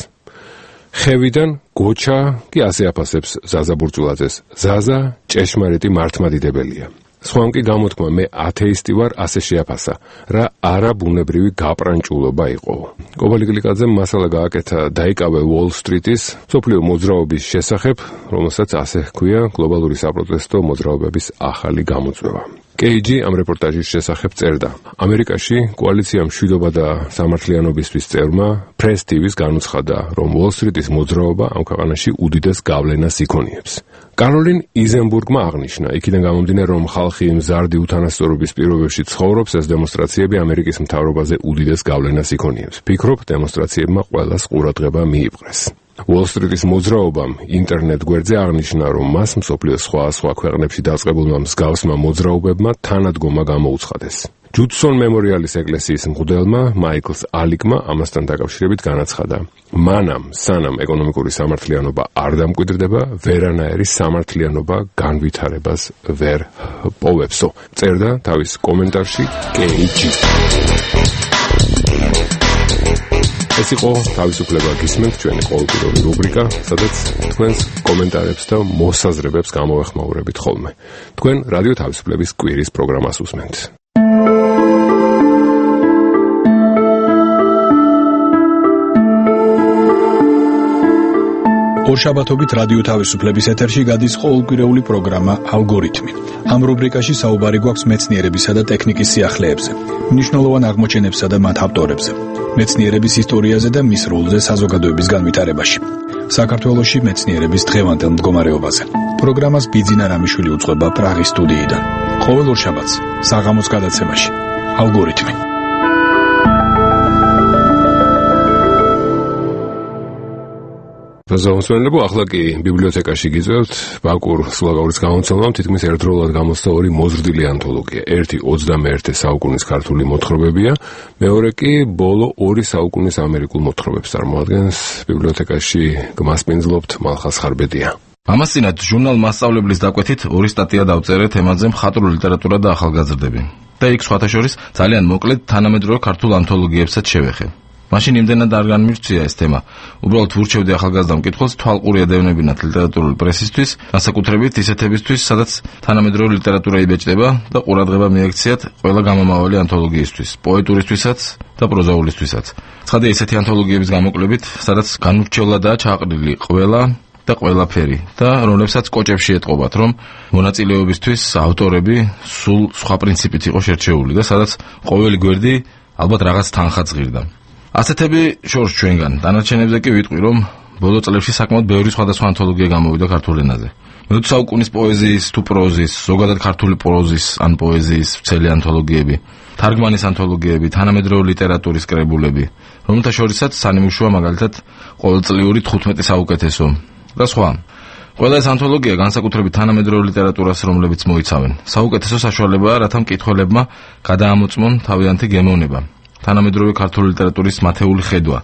ხევიდან გოჩა კი ასე აფასებს ზაზა ბურჭულაძეს. ზაზა ჭეშმარიტი მართლმადიდებელია. სხვამ კი გამოთქმა, მე ათეისტი ვარ, ასე შეაფასა, რა არაბუნებრივი გაპრანჭულობა იყო. კობალი გლიკაძემ მასალა გააკეთა დაიკავე Wall Street-ის სოფლიო მოძრაობის შესახებ, რომელსაც ასე ჰქვია გლობალური საპროტესტო მოძრაობების ახალი გამოწვევა. KG ამ რეპორტაჟის შესახებ წერდა. ამერიკაში კოალიცია მშვიდობა და სამართლიანობისთვის წევრმა Press TV-ს განუცხადა, რომ Wall Street-ის მოძრაობა ამ ქვეყანაში უდიდეს გავლენას იქონიებს. კაროლინ იზენბურგმა აღნიშნა, იქიდან გამომდინარე, რომ ხალხი მზარდი უთანასწორობის პირობებში ცხოვრობს, ეს დემონსტრაციები ამერიკის მთავრობაზე უდიდეს გავლენას იქონიებს. ფიქრობ, დემონსტრაციებმა ყველას ყურადღება მიიპყრეს. Wall Street-ის მოძრაობამ ინტერნეტ გვერდზე აღნიშნა, რომ მას მსოფლიოს სხვა ქვეყნებში დაწყებულმა მსგავსმა მოძრაობებმა თანადგომა გამოუცხადეს. ჯუდსონ მემორიალის ეკლესიის მღვდელმა მაიკლს ალიკმა ამასთან დაკავშირებით განაცხადა, მანამ სანამ ეკონომიკური სამართლიანობა არ დამკვიდრდება, ვერანაირი სამართლიანობა განვითარებას ვერ პოვებსო. წერდა თავის კომენტარში KG. ეს იყო თავისუფლება გისმენთ, ჩვენი ყოველკვირეული რუბრიკა, სადაც თქვენს კომენტარებს და მოსაზრებებს გამოეხმაურებით ხოლმე. თქვენ რადიო თავისუფლების კვირის პროგრამას უსმენთ. ორშაბათობით რადიო თავისუფლების ეთერში გადის ყოველკვირეული პროგრამა ალგორითმი. ამ რუბრიკაში საუბარი გვაქვს მეცნიერებისა და ტექნიკის სიახლეებზე, მნიშვნელოვან აღმოჩენებსა და მათ ავტორებზე, მეცნიერების ისტორიაზე და მის როლზე საზოგადოების განვითარებაში. საქართველოში მეცნიერების დღევანდელ მდგომარეობაზე. პროგრამას ბიძინა რამიშვილი უძღვება პრაღის სტუდიიდან. ყოველ ორშაბათს საღამოს გადაცემაში ალგორითმი. ზოგადად ახლა კი ბიბლიოთეკაში გიწევთ ბაკურ სულაგაურის გამომცემლობამ თითქმის ერთდროულად გამოსცა ორი მოზრდილი ანთოლოგია. ერთი 21 საუკუნის ქართული მოთხრობებია, მეორე კი ბოლო 2 საუკუნის ამერიკულ მოთხრობებს წარმოადგენს. ბიბლიოთეკაში გმასპინძლობთ მალხას ხარბედია. ამასთანავე ჟურნალ მასწავლებლის დაკვეთით 2 სტატია დავწერე თემაზე მხატვრული ლიტერატურა და ახალგაზრდები. და იქ სხვათა შორის ძალიან მოკლედ თანამედროვე ქართულ ანთოლოგიებსაც შევეხე. მაშინ იმდენად არ განმირჩია ეს თემა. უბრალოდ ვურჩევდი ახალგაზრდა მკითხველს თვალყური ედევნებინათ ლიტერატურული პრესისთვის, განსაკუთრებით ისეთებისთვის, სადაც თანამედროვე ლიტერატურა იბეჭდება და ყურადღება მიექციათ ყველა გამომავალი ანთოლოგიისთვის, პოეტურისთვისაც და პროზაულისთვისაც. ცხადია ისეთი ანთოლოგიების გამოკლებით, სადაც განურჩევლადაა ჩაყრილი ყველა და ყველაფერი და რომლებსაც კოჭებში ეტყობათ, რომ მონაწილეობისთვის ავტორები სულ სხვა პრინციპით იყო შერჩეული და სადაც ყოველი გვერდი ალბათ რაღაც თანხაც ღირდა. ასეთები შორს ჩვენგან. დანარჩენებზე კი ვიტყვი, რომ ბოლო წლებში საკმაოდ ბევრი სხვადასხვა ანთოლოგია გამოვიდა ქართულ ენაზე. მე-20 საუკუნის პოეზიის თუ პროზის, ზოგადად ქართული პროზის ან პოეზიის ვცელი ანთოლოგიები, თარგმანის ანთოლოგიები, თანამედროვე ლიტერატურის კრებულები, რომელთა შორისაც სანიმუშოა მაგალითად ყოველწლიური 15 საუკეთესო და სხვა. ყველა ეს ანთოლოგია განსაკუთრებით თანამედროვე ლიტერატურას, რომლებიც მოიცავენ, საუკეთესო საშუალებაა, რათა მკითხველებმა გადაამოწმონ თავიანთი გემოვნება. თანამედროვე ქართული ლიტერატურის მათეული ხედვა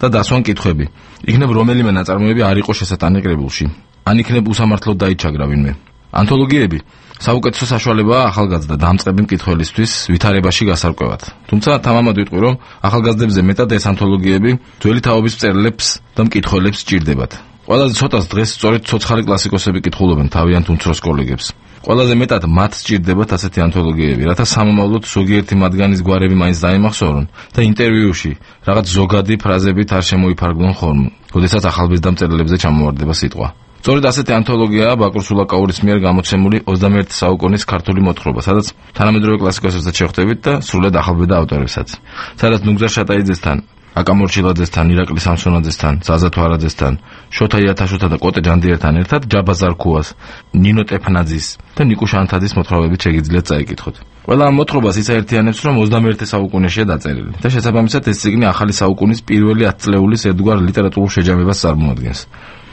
და დასვან კითხვები. იქნებ რომელიმე ნაწარმოები არ იყო შესატანი კრებულში, ან იქნებ უსამართლოდ დაიჩაგრა ვინმე. ანთოლოგიები საუკეთესო საშუალებაა ახალგაზრდა დამწყები მკითხველისთვის ვითარებაში გასარკვევად. თუმცა თამამად ვიტყვი, რომ ახალგაზრდებზე მეტად ეს ანთოლოგიები ძველი თაობის მწერლებს და მკითხველებს სჭირდებათ. ყველაზე ცოტას დღეს სწორედ ცოცხალი კლასიკოსები კითხულობენ თავიანთ უმცროს კოლეგებს. ყველაზე მეტად მათ სჭირდებათ ასეთი ანთოლოგიები, რათა სამომავლოდ ზოგიერთი მათგანის გვარები მაინც დაიმახსოვრონ და ინტერვიუში რაღაც ზოგადი ფრაზებით არ შემოიფარგლონ ხოლმე, როდესაც ახალბეჭდა მწერლებზე ჩამოვარდება სიტყვა. სწორედ ასეთი ანთოლოგიაა ბაკურ სულაკაურის მიერ გამოცემული 21 საუკუნის ქართული მოთხრობა, სადაც თანამედროვე კლასიკოსებსაც შეხვდებით და სრულად ახალბედა ავტორებსაც. სადაც ნუგზარ შატაიძესთან, აკა მორჩილაძესთან, ირაკლი სამსონაძესთან, ზაზა თვარაძესთან, შოთა იათაშოთა და კოტე ჯანდიერთან ერთად ჯაბა ზარქუას, ნინო ტეფნაძის და ნიკო შანთაძის მოთხრობებით შეგიძლიათ წაიკითხოთ. ყველა ამ მოთხრობას იცაერთიანებს, რომ 21 საუკუნეშია დაწერილი და შესაბამისად ეს წიგნი ახალი საუკუნის პირველი 10 წლეულის ერთგვარ ლიტერატურულ შეჯამებას წარმოადგენს.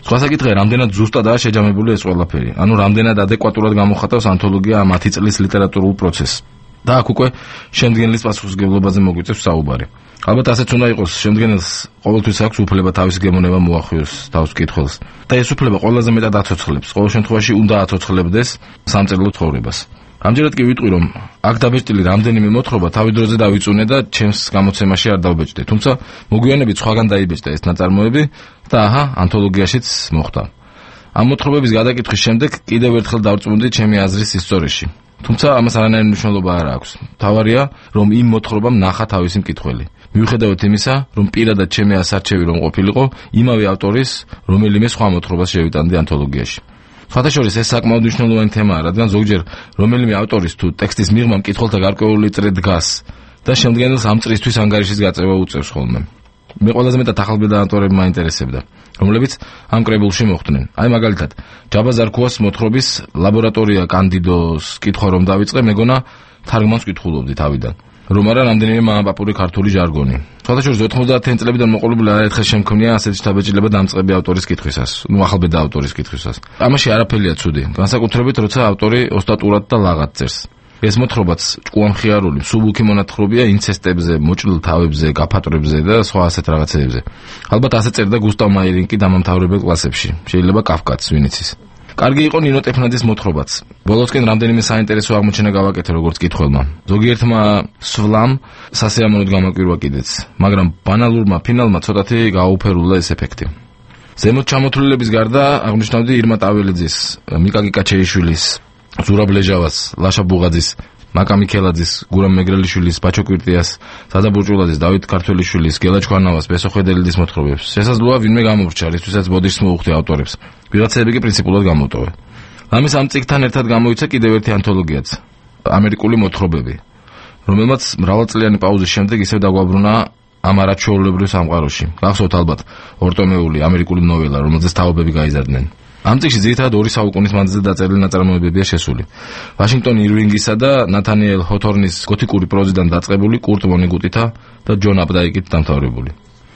სხვა საკითხია, რამდენად ზუსტადაა შეჯამებული ეს ყველაფერი, ანუ რამდენად ადეკვატურად გამოხატავს ანთოლოგია ამ 10 წლის ლიტერატურულ პროცესს. და აქ უკვე შემდგენლის პასუხისმგებლობაზე მოგვიწევს საუბარი. ალბათ ასეც უნდა იყოს, შემდგენელს ყოველთვის აქვს უფლება თავისი გემოვნება მოახვიოს თავს მკითხველს და ეს უფლება ყველაზე მეტად აცოცხლებს, ყოველ შემთხვევაში უნდა აცოცხლებდეს სამწერლო ცხოვრებას. ამჯერად კი ვიტყვი, რომ აქ დაბეჭდილი რამდენიმე მოთხრობა თავი დროზე დავიწუნე და ჩემს გამოცემაში არ დავბეჭდე, თუმცა მოგვიანებით სხვაგან დაიბეჭდა ეს ნაწარმოები და აჰა, ანთოლოგიაშიც მოხვდა. ამ მოთხრობების გადაკითხვის შემდეგ კიდევ ერთხელ დავწმუნდი ჩემი აზრის ისტორიაში. თუმცა ამას არანაირი მნიშვნელობა არ აქვს. მთავარია, რომ იმ მოთხრობამ ნახა თავისი მკითხველი. მიუხედავად იმისა, რომ პირადად ჩემი ასარჩევი რომ ყოფილიყო, იმავე ავტორის რომელიმე სხვა მოთხრობას შევიტანდი ანთოლოგიაში. სხვათა შორის ეს საკმაოდ მნიშვნელოვანი თემაა, რადგან ზოგჯერ რომელიმე ავტორის თუ ტექსტის მიღმა მკითხველთა გარკვეული წრე დგას და შემდგენელს ამ წრისთვის ანგარიშის გაწევა უწევს ხოლმე. მე ყველაზე მეტად ახალბედა ავტორები მაინტერესებდა, რომლებიც ამ კრებულში მოხვდნენ. აი მაგალითად, ჯაბა ზარქუას მოთხრობის ლაბორატორია კანდიდოს კითხვა რომ დავიწყე, მეგონა თარგმანს კითხულობდი თავიდან. რომ არა რამდენიმე მამაპაპური ქართული ჟარგონი. სხვათა შორის 90-იან წლებიდან მოყოლებული არაერთხელ შემქმნია ასეთი შთაბეჭდილება დამწყები ავტორის კითხვისას, ახალბედა ავტორის კითხვისას. ამაში არაფერია ცუდი, განსაკუთრებით როცა ავტორი ოსტატურად და ლაღად წერს. ეს მოთხრობაც ჭკუამხიარული, სუბუქი მონათხრობია ინცესტებზე, მოჭრილ თავებზე, გაფატვრებზე და სხვა ასეთ რაღაცეებზე. ალბათ ასე წერდა გუსტავ მაიერინკი დამამთავრებელ კლასებში. შეიძლება კაფკაც, ვინც იცის. კარგი იყო ნინო ტეფნაძის მოთხრობაც. ბოლოსკენ რამდენიმე საინტერესო აღმოჩენა გავაკეთე როგორც კითხველმა. ზოგიერთმა სვლამ სასიამოვნოდ გამაკვირვა კიდეც, მაგრამ ბანალურმა ფინალმა ცოტათი გააუფერულა ეს ეფექტი. ზემოთ ჩამოთვლილების გარდა აღნიშნავდი ირმა ტაველიძის, მიკა კიკაჩეიშვილის, ზურაბ ლეჟავას, ლაშა ბუღაძის, მაკა მიქელაძის, გურამ მეგრელიშვილის, ბაჩო კვირტიას, სადა ბურჭულაძის, დავით ქართველიშვილის, გელა ჩქვანავას, ბესო ხედელიძის მოთხრობებს. შესაძლოა ვინმე გამოვრჩა, რისთვისაც ბოდიშს მოუხდი ავტორებს. ვიღაცები კი პრინციპულად გამოტოვე. ამის ამ წიგნთან ერთად გამოიცა კიდევ ერთი ანთოლოგიაც, ამერიკული მოთხრობები, რომელმაც მრავალწლიანი პაუზის შემდეგ ისევ დაგვაბრუნა ამ არაჩვეულებრივ სამყაროში. გახსოვთ ალბათ ორტომეული ამერიკული ნოველა, რომელზეც თაობები გაიზარდნენ. ამ წიგნში ძირითადად 2 საუკუნის მანძილზე დაწერილი ნაწარმოებებია შესული. ვაშინგტონ ირვინგისა და ნათანიელ ჰოთორნის გოთიკური პროზიდან დაწყებული, კურტ ვონეგუტითა და ჯონ აპდაიკით დამთავრებული.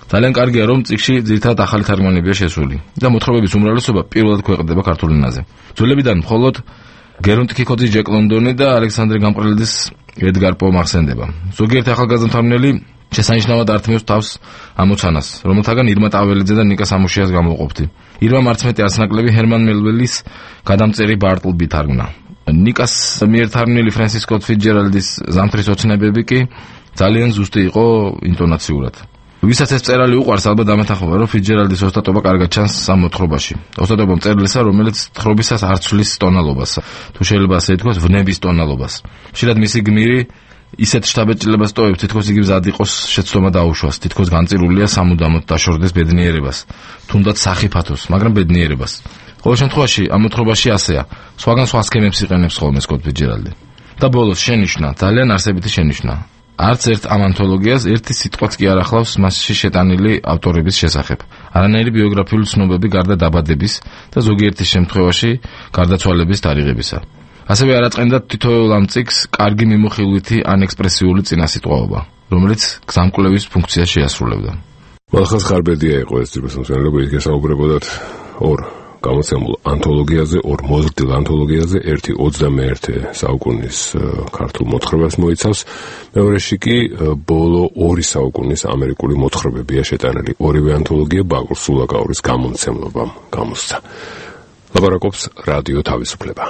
ძალიან კარგია, რომ წიგნში ძირითადად ახალი თარგმანებია შესული და მოთხრობების უმრავლესობა პირველად ქვეყნდება ქართულ ენაზე. ძველებიდან მხოლოდ გერონტ კიკოძის, ჯეკ ლონდონი და ალექსანდრე გამყრელიძის ედგარ პო მახსენდება. ზოგიერთი ახალგაზრდა მთარგმნელი შესანიშნავად ართმევს თავს ამოცანას, რომელთაგან ირმა ტაველიძე და ნიკა სამუშიას გამოვყოფთი. ირმა მარცმეტი არცნაკლები ჰერმან მელვილის გადამწერი ბარტლბი თარგმნა. ნიკას მიერ თარგმნილი ფრენსის სკოტ ფიცჯერალდის ზამთრის ოცნებები კი ძალიან ზუსტი იყო ინტონაციურად. ვისაც ეს წერალი უყვარს, ალბათ დამეთანხმება, რომ ფიცჯერალდის ოსტატობა კარგად ჩანს ამ მოთხრობაში. ოსტატობა მწერლისა, რომელიც თხრობისას არ ცვლის ტონალობას, თუ შეიძლება ასე ითქვას, ვნების ტონალობას. ხშირად მისი გმირი ისეთ შთაბეჭდილებას ტოვებს, თითქოს იგი მზად იყოს შეცდომა დაუშვას, თითქოს განწირულია სამუდამოდ დაშორდეს ბედნიერებას, თუნდაც სახიფათოს, მაგრამ ბედნიერებას. ყოველ შემთხვევაში ამ მოთხრობაში ასეა, სხვაგან სხვა სქემებს იყენებს ხოლმე სკოტ ფიცჯერალდი. და ბოლოს შენიშვნა, ძალიან არსებითი შენიშვნა. არც ერთ ამ ანთოლოგიას ერთი სიტყვაც კი არ ახლავს მასში შეტანილი ავტორების შესახებ. არანაირი ბიოგრაფიული ცნობები გარდა დაბადების და ზოგიერთი შემთხვევაში გარდაცვალების თარიღებისა. ასევე არ აწყენდა თითოეულ ამ წიგნს კარგი მიმოხილვითი ან ექსპრესიული წინასიტყვაობა, რომელიც გზამკვლევის ფუნქციას შეასრულებდა. მალხაზ ხარბედია იყო ეს ტიპის მსმენელები, გესაუბრებოდათ ორ გამოცემულ ანთოლოგიაზე, ორ მოზრდილ ანთოლოგიაზე, ერთი 21 საუკუნის ქართულ მოთხრობას მოიცავს, მეორეში კი ბოლო 2 საუკუნის ამერიკული მოთხრობებია შეტანილი. ორივე ანთოლოგია ბაკურ სულაკაურის გამომცემლობამ გამოსცა. ლაპარაკობს რადიო თავისუფლება.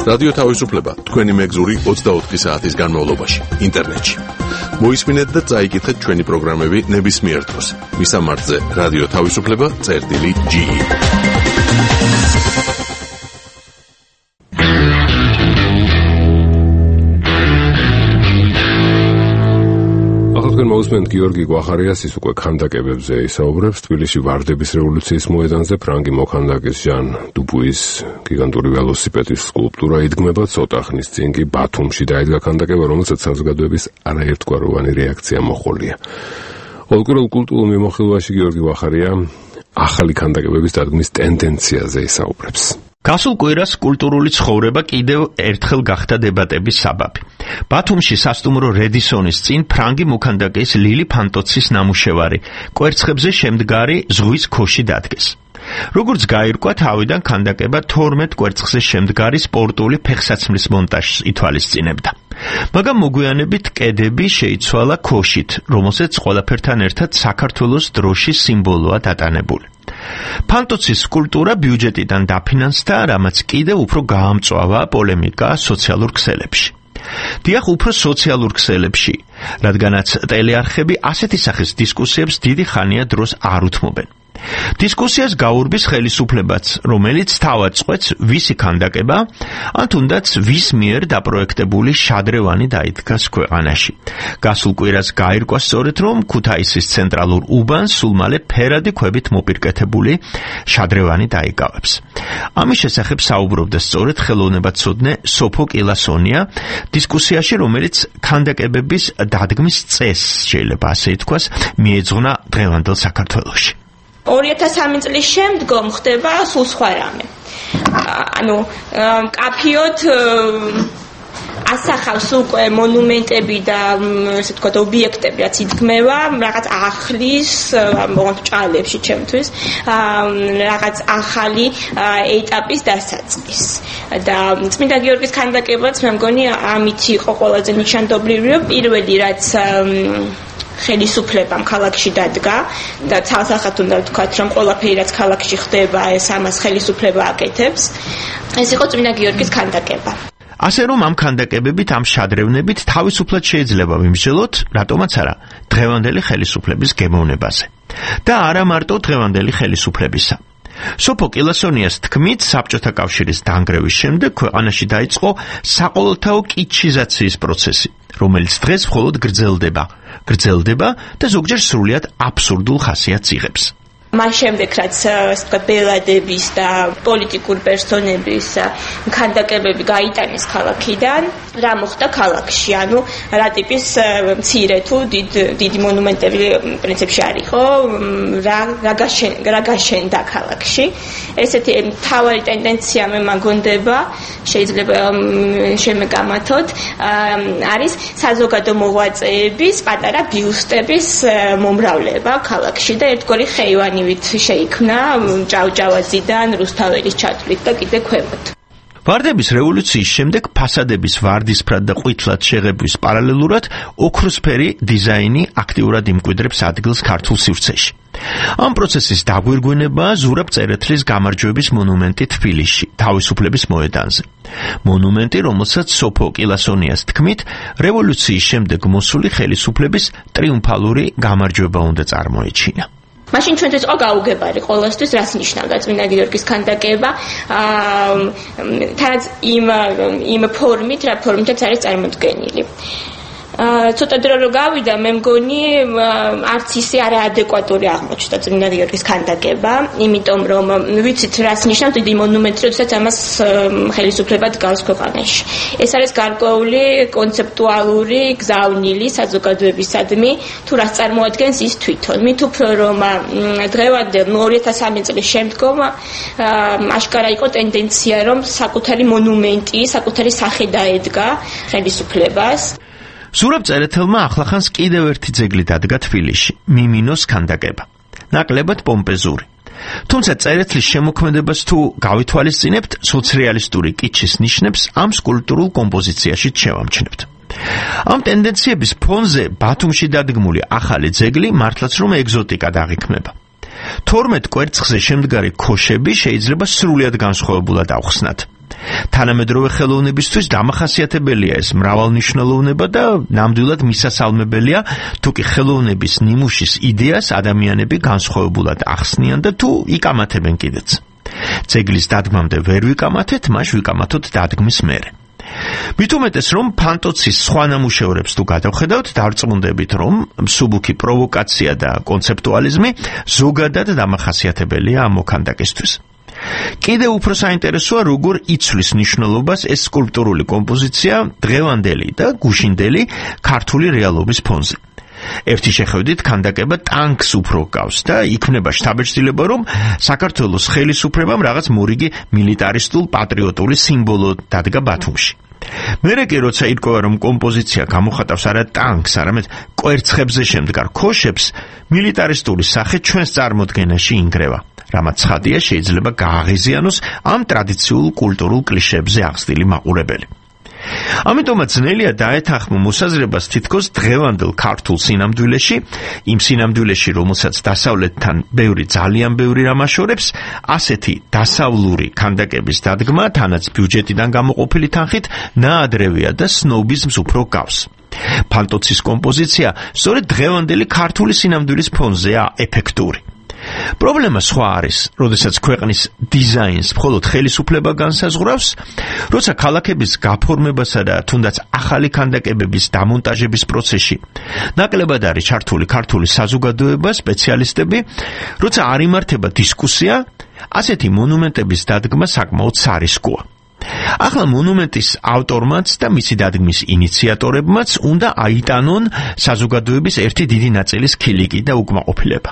რადიო თავისუფლება თქვენი მეგზური 24 საათის განმავლობაში ინტერნეტში. მოისმინეთ და წაიკითხეთ ჩვენი პროგრამები ნებისმიერ დროს. მისამართზე რადიო თავისუფლება.ge. მოусმენთ გიორგი გვახარიას, ის უკვე ქანდაკებებზე ისაუბრებს. თბილისში ვარდების რევოლუციის მოედანზე ფრანგი მოქანდაკის ჟან დუპუის გიგანტური ველოსიპედის სკულპტურა იდგმება. ცოტა ხნის წინ კი ბათუმში დაიდგა ქანდაკება, რომელსაც საზოგადოების არაერთგვაროვანი რეაქცია მოჰყოლია. ოლკურულ კულტურულ მიმოხილვაში გიორგი გვახარია ახალი ქანდაკებების დადგმის ტენდენციაზე ისაუბრებს. გასულ კვირას კულტურული ცხოვრება კიდევ ერთხელ გახდა დებატების საბაბი. ბათუმში სასტუმრო რედისონის წინ ფრანგი მოქანდაკის ლილი ფანტოცის ნამუშევარი კვერცხებზე შემდგარი ზღვის ქოში დადგეს. როგორც გაირკვა, თავიდან ქანდაკება 12 კვერცხზე შემდგარი სპორტული ფეხსაცმლის მონტაჟს ითვალისწინებდა. მაგრამ მოგვიანებით კედები შეიცვალა ქოშით, რომელსაც ყველაფერთან ერთად საქართველოს დროშის სიმბოლოა დატანებული. ფანტოცის სკულპტურა ბიუჯეტიდან დაფინანსდა, რამაც კიდევ უფრო გაამწვავა პოლემიკა სოციალურ ქსელებში. დიახ, უფრო სოციალურ ქსელებში, რადგანაც ტელეარხები ასეთი სახის დისკუსიებს დიდი ხანია დროს არ უთმობენ. დისკუსიას გაურბის ხელისუფლებაც, რომელიც თავად წყვეტს ვისი ქანდაკება, ან თუნდაც ვის მიერ დაპროექტებული შადრევანი დაიდგას ქვეყანაში. გასულ კვირას გაირკვა სწორედ, რომ ქუთაისის ცენტრალურ უბანს სულ მალე ფერადი ქვებით მოპირკეთებული შადრევანი დაიკავებს. ამის შესახებ საუბრობდა სწორედ ხელოვნებაცოდნე სოფო კილასონია დისკუსიაში, რომელიც ქანდაკებების დადგმის წესს, შეიძლება ასე ითქვას, მიეძღვნა დღევანდელ საქართველოში. 2003 წლის შემდგომ ხდება სულ სხვა რამე. კაფიოდ ასახავს უკვე მონუმენტები და ესე ვთქვათ ობიექტები, რაც იდგმება, რაღაც ახლის, ჭალებში ჩემთვის, რაღაც ახალი ეტაპის დასაწყის. და წმინდა გიორგის ქანდაკებაც მე მგონი ამით იყო ყველაზე ნიშანდობლივი, რომ პირველი რაც ხელისუფლებამ ქალაქში დადგა და ცალსახად უნდა ვთქვათ, რომ ყველაფერი რაც ქალაქში ხდება, ეს ამას ხელისუფლება აკეთებს. ეს იყო წმინდა გიორგის ქანდაკება. ასე რომ ამ ქანდაკებებით, ამ შადრევნებით თავისუფლად შეიძლება ვიმსჯელოთ, რატომაც არა, დღევანდელი ხელისუფლების გემოვნებაზე. და არა მარტო დღევანდელი ხელისუფლებისა. სოფო კილასონიას თქმით, საბჭოთა კავშირის დანგრევის შემდეგ ქვეყანაში დაიწყო საყოველთაო კიჩიზაციის პროცესი, რომელიც დღეს მხოლოდ გრძელდება და ზოგჯერ სრულიად აბსურდულ ხასიათს იღებს. მას შემდეგ რაც ბელადების და პოლიტიკურ პერსონების ქანდაკებები გაიტანეს ქალაქიდან, რა მოხდა ქალაქში, ანუ რა ტიპის მცირე თუ დიდი მონუმენტები პრინციპში არ იყო, რა გაშენდა ქალაქში. ესეთი მთავარი ტენდენცია მე მაგონდება, შეიძლება შემეგამათოთ, არის საზოგადო მოღვაწეების პატარა ბიუსტების მომრავლება ქალაქში და ერთგვარი ხეივანი შეიქმნა ჭავჭავაძიდან, რუსთაველის ჩათვლით და კიდე ქვემოთ. ვარდების რევოლუციის შემდეგ ფასადების ვარდისფრად და ყვითლად შეღებვის პარალელურად ოქროსფერი დიზაინი აქტიურად იმკვიდრებს ადგილს ქართულ სივრცეში. ამ პროცესის დაგვირგვინებაა ზურაბ წერეთლის გამარჯვების მონუმენტი თბილისში, თავისუფლების მოედანზე. მონუმენტი, რომელსაც სოფო კილასონიას თქმით, რევოლუციის შემდეგ მოსული ხელისუფლების ტრიუმფალური გამარჯვება უნდა წარმოეჩინა. მაშინ ჩვენთვის იყო გაუგებარი ყოველთვის რას ნიშნავდა წმინდა გიორგის ქანდაკება, თანაც იმ ფორმით, რა ფორმითაც არის წარმოდგენილი. ცოტა დრო რო გავიდა, მე მგონი არც ისე არაადეკვატური აღმოჩნდა წმინდა გიორგის ქანდაკება, იმიტომ რომ ვიცით რას ნიშნავს დიდი მონუმენტი, როდესაც ამას ხელისუფლება დგას ქვეყანაში. ეს არის გარკვეული კონცეპტუალური გზავნილი საზოგადოებისადმი, თუ რას წარმოადგენს ის თვითონ. მით უფრო რომ დღევანდელ 2003 წლის შემდგომ აშკარა იყო ტენდენცია, რომ საკუთარი მონუმენტი, საკუთარი სახე დაედგა ხელისუფლებას. ზურაბ წერეთელმა ახლახანს კიდევ ერთი ძეგლი დადგა თბილისში, მიმინოს ქანდაკება. ნაკლებად პომპეზური. თუმცა წერეთლის შემოქმედებას თუ გავითვალისწინებთ, სოციალისტური კიჩის ნიშნებს ამ სკულპტურულ კომპოზიციაში შევამჩნევთ. ამ ტენდენციების ფონზე ბათუმში დადგმული ახალი ძეგლი მართლაც რომ ეგზოტიკად აღიქმება. 12 კვერცხზე შემდგარი ქოშები შეიძლება სრულიად განსხვავებულად ავხსნათ. თანამედროვე ხელოვნებისთვის დამახასიათებელია ეს მრავალნიშნულოვნება და ნამდვილად მისასალმებელია, თუ კი ხელოვნების ნიმუშის იდეას ადამიანები განსხვავებულად ახსნიან და თუ იკამათებენ კიდეც. ძეგლის დადგმამდე ვერ ვიკამათეთ, მას ვიკამათოთ დადგმის მერე. მით უმეტეს რომ ფანტოცის სხვა ნამუშევრებს თუ გადავხედავთ, დარწმუნდებით რომ მსუბუქი პროვოკაცია და კონცეპტუალიზმი ზოგადად დამახასიათებელია ამ მოქანდაკისთვის. კიდევ უფრო საინტერესოა, როგორ იცვლის მნიშვნელობას ეს სკულპტურული კომპოზიცია დღევანდელი და გუშინდელი ქართული რეალობის ფონზე. ერთი შეხედვით ქანდაკება ტანკს უფრო გავს და იქმნება შთაბეჭდილება, რომ საქართველოს ხელისუფლებამ რაღაც მორიგი მილიტარისტულ პატრიოტული სიმბოლო დადგა ბათუმში. მერე კი როცა ირკვევა, რომ კომპოზიცია გამოხატავს არა ტანკს, არამედ კვერცხებზე შემდგარ ქოშებს, მილიტარისტული სახე ჩვენს წარმოდგენაში ინგრევა. რამაც ცხადია, შეიძლება გააღიზიანოს ამ ტრადიციულ კულტურულ კლიშეებზე აღზრდილი მაყურებელი. ამიტომაც ძნელია დაეთანხმო მოსაზრებას თითქოს დღევანდელ ქართულ სინამდვილეში, იმ სინამდვილეში, რომელსაც დასავლეთთან ძალიან ბევრი რამ აშორებს, ასეთი დასავლური ქანდაკების დადგმა, თანაც ბიუჯეტიდან გამოყოფილი თანხით, ნაადრევია და სნობიზმს უფრო გავს. ფანტოცის კომპოზიცია სწორედ დღევანდელი ქართული სინამდვილის ფონზეა ეფექტური. პრობლემა სხვა არის, როდესაც ქვეყნის დიზაინს მხოლოდ ხელისუფლება განსაზღვრავს, როცა ქალაქების გაფორმებასა და თუნდაც ახალი ქანდაკებების დამონტაჟების პროცესში ნაკლებად არის ჩართული ქართული საზოგადოება, სპეციალისტები, როცა არ იმართება დისკუსია, ასეთი მონუმენტების დადგმა საკმაოდ სარისკოა. ახლა მონუმენტის ავტორმაც და მისი დადგმის ინიციატორებმაც უნდა აიტანონ საზოგადოების ერთი დიდი ნაწილის ქილიკი და უკმაყოფილება.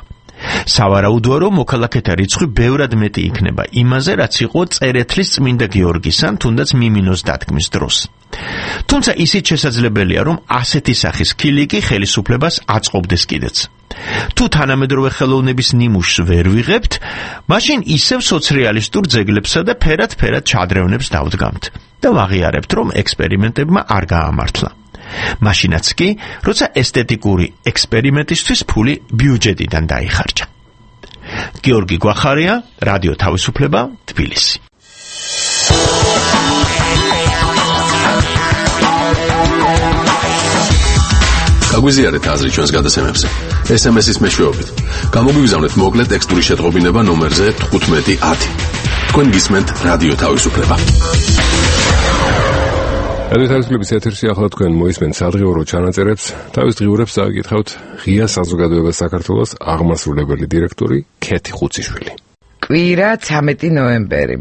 სავარაუდოა, რომ მოქალაქეთა რიცხვი ბევრად მეტი იქნება იმაზე, რაც იყო წერეთლის წმინდა გიორგის ან თუნდაც მიმინოს დადგმის დროს. თუმცა ისიც შესაძლებელია, რომ ასეთი სახის ქილიკი ხელისუფლებას აწყობდეს კიდეც. თუ თანამედროვე ხელოვნების ნიმუშს ვერ ვიღებთ, მაშინ ისევ სოციალისტურ ძეგლებსა და ფერად ჩადრევნებს დავდგამთ და ვაღიარებთ, რომ ექსპერიმენტებმა არ გაამართლა. მაშინაც კი, როცა ესთეტიკური ექსპერიმენტისთვის ფული ბიუჯეტიდან დაიხარჯა. გიორგი გვახარია, რადიო თავისუფლება, თბილისი. გაგვიზიარეთ აზრი ჩვენს გადაცემებზე. SMS-ის მეშვეობით. გამოგვიგზავნეთ მოკლე ტექსტური შეტყობინება ნომერზე 1510. თქვენ გისმენთ რადიო თავისუფლება. რადიო თავისუფლების ეთერში ახლა თქვენ მოისმენთ სადღეურო ჩანაწერებს. თავის დღიურებს წავიკითხავთ ღია საზოგადოება საქართველოს აღმასრულებელი დირექტორი ქეთი ხუციშვილი. კვირა 13 ნოემბერი.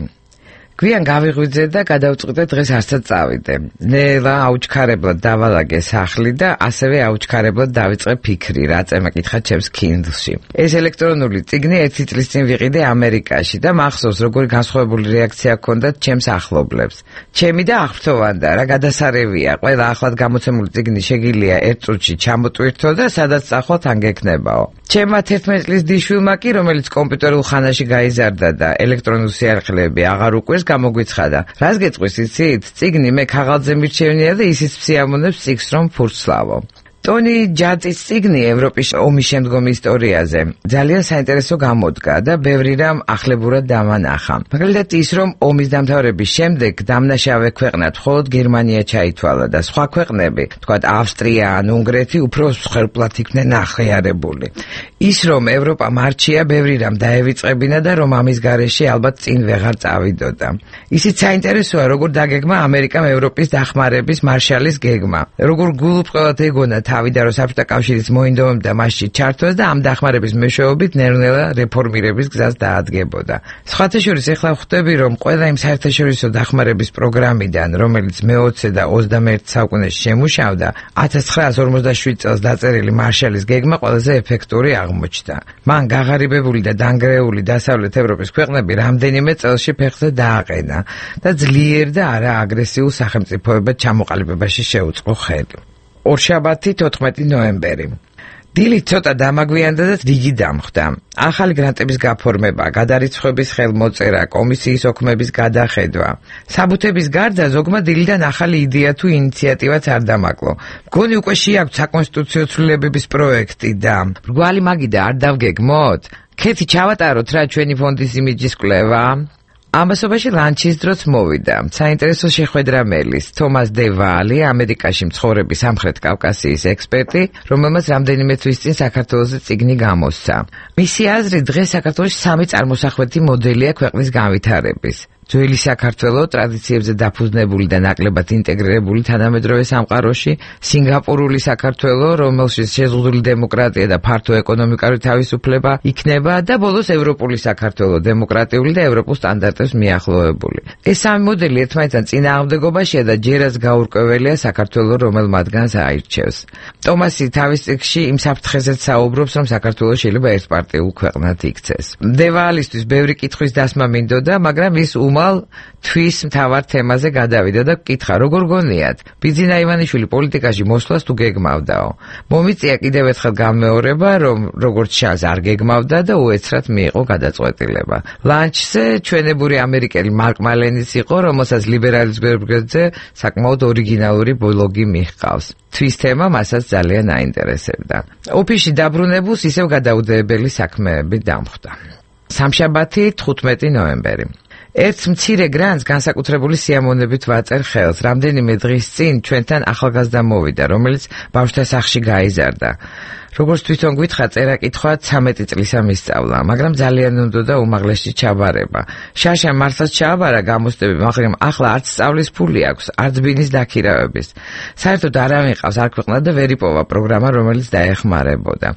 გვიან გავიღვიძე და გადავწყვიტე დღეს არცად წავიდე. ნელა აუჩქარებლად დავალაგე სახლი და ასევე აუჩქარებლად დავიწყე ფიქრი, რა წემა კითხა ჩემს Kindle-ში. ეს ელექტრონული წიგნი 1 წლის წინ ვიყიდე ამერიკაში და მახსოვს როგორი განსხვავებული რეაქცია ჰქონდათ ჩემს ახლობლებს. ჩემი და აღფრთოვანდა, რა გადასარევია, ყველა ახლად გამოცემული წიგნი შეგიძლია 1 წუთში ჩამოტვირთო და სადაც წახვალთ ან გექნებაო. ჩემმა 11 წლის დიშვილმა კი, რომელიც კომპიუტერულ ხანაში გაიზარდა და ელექტრონული სიახლეები აღარ უკვირს, გამოგვიცხადა. რას გეტყვის იცით? წიგნი მე ქაღალდზე მირჩევნია და ისიც სიამოვნებს წიგს რომ ფურცლავო. ტონი ჯაძის წიგნი ევროპის ომის შემდგომი ისტორიაზე ძალიან საინტერესო გამოდგა და ბევრი რამ ახლებურად დამანახა. მაგალითად ის, რომ ომის დამთავრების შემდეგ დამნაშავე ქვეყნად მხოლოდ გერმანია ჩაითვალა და სხვა ქვეყნები, თქვათ ავსტრია ან უნგრეთი, უფრო მსხვერპლად იქნენ აღიარებული. ის, რომ ევროპა მარჩია, ბევრი რამ დაევიწყებინა და რომ ამის გარეშე ალბათ წინ ვეღარ წავიდოდა. ისიც საინტერესოა, როგორ დაგეგმა ამერიკამ ევროპის დახმარების მარშალის გეგმა. როგორ გულუბრყელად ეგონა თავი და რომ საბჭოთა კავშირის მოინდომებდა მასში ჩართვას და ამ დახმარების მეშვეობით ნელ-ნელა რეფორმირების გზას დაადგებოდა. სხვათა შორის ეხლა ხვდები, რომ ყველა იმ საერთაშორისო დახმარების პროგრამიდან, რომელიც მე-20 და 21 საუკუნეში შემუშავდა, 1947 წელს დაწერილი მარშალის გეგმა ყველაზე ეფექტური აღმოჩნდა. მან გაღარიბებული და დანგრეული დასავლეთ ევროპის ქვეყნები რამდენიმე წელში ფეხზე დააყენა და ძლიერ და არა აგრესიულ სახელმწიფოებად ჩამოყალიბებაში შეუწყო ხელი. ორშაბათი 14 ნოემბერი. დილით ცოტა დამაგვიანდა და რიგი დამხდა. ახალი გრანტების გაფორმება, გადარიცხვების ხელმოწერა, კომისიის ოქმების გადახედვა. საბუთების გარდა ზოგმა დილიდან ახალი იდეა თუ ინიციატივაც არ დამაკლო. მგონი უკვე შეაქვთ საკონსტიტუციო ცვლილებების პროექტი და მრგვალი მაგიდა არ დავგეგმოთ? ქეთი ჩავატაროთ რა ჩვენი ფონდის იმიჯის კვლევა? ამასობაში ლანჩის დროც მოვიდა. საინტერესო შეხვედრა მელის თომას დევალი, ამერიკაში მცხოვრები სამხრეთ კავკასიის ექსპერტი, რომელმაც რამდენიმე თვის წინ საქართველოს წიგნი გამოსცა. მისი აზრით, დღეს საქართველოში 3 წარმოსახვეთი მოდელია ქვეყნის განვითარების. ძველი საქართველო ტრადიციებზე დაფუძნებული და ნაკლებად ინტეგრირებული თანამედროვე სამყაროში, სინგაპურული საქართველო, რომელშიც შეზღუდული დემოკრატია და ფართო ეკონომიკური თავისუფლება იქნება და ბოლოს ევროპული საქართველო, დემოკრატიული და ევროპულ სტანდარტებს მიახლოებული. ეს სამი მოდელი ერთმანეთთან წინააღმდეგობაშია და ჯერაც გაურკვეველია საქართველო რომელ მათგანს აირჩევს. ტომასი თავის წიგნში იმ საფრთხეზეც საუბრობს, რომ საქართველო შეიძლება ერთპარტიულ ქვეყნად იქცეს. დევალისთვის ბევრი კითხვის დასმა მინდოდა, მაგრამ ის თვის მთავარ თემაზე გადავიდა და კითხა, როგორ გონიათ? ბიძინა ივანიშვილი პოლიტიკაში მოსვლას თუ გეგმავდაო? მომიწია კიდევ ერთხელ გამეორება, რომ როგორც ჩანს არ გეგმავდა და უეცრად მიიღო გადაწყვეტილება. ლანჩზე ჩვენებური ამერიკელი მარკ მალენის იყო, რომელსაც ლიბერალის გვერდზე საკმაოდ ორიგინალური ბლოგი მიჰყავს. თვის თემა მასაც ძალიან აინტერესებდა. ოფისში დაბრუნებულს ისევ გადაუდებელი საქმეები დამხვდა. სამშაბათი 15 ნოემბერი. ერთ მცირე გრანტს განსაკუთრებული სიამოვნებით ვაწერ ხელს. რამდენიმე დღის წინ ჩვენთან ახალგაზრდა მოვიდა, რომელიც ბავშვთა სახლში გაიზარდა. როგორც თვითონ გითხრა, წერა-კითხვა 13 წლისა მისწავლა, მაგრამ ძალიან უნდოდა უმაღლესში ჩაბარება. შაშა მარსაც ჩააბარა გამოსტები, მაგრამ ახლა არც სწავლის ფული აქვს, არც ბინის დაქირავების. საერთოდ არავინ ყავს არ ქვეყნად და ვერ იპოვა პროგრამა, რომელიც დაეხმარებოდა.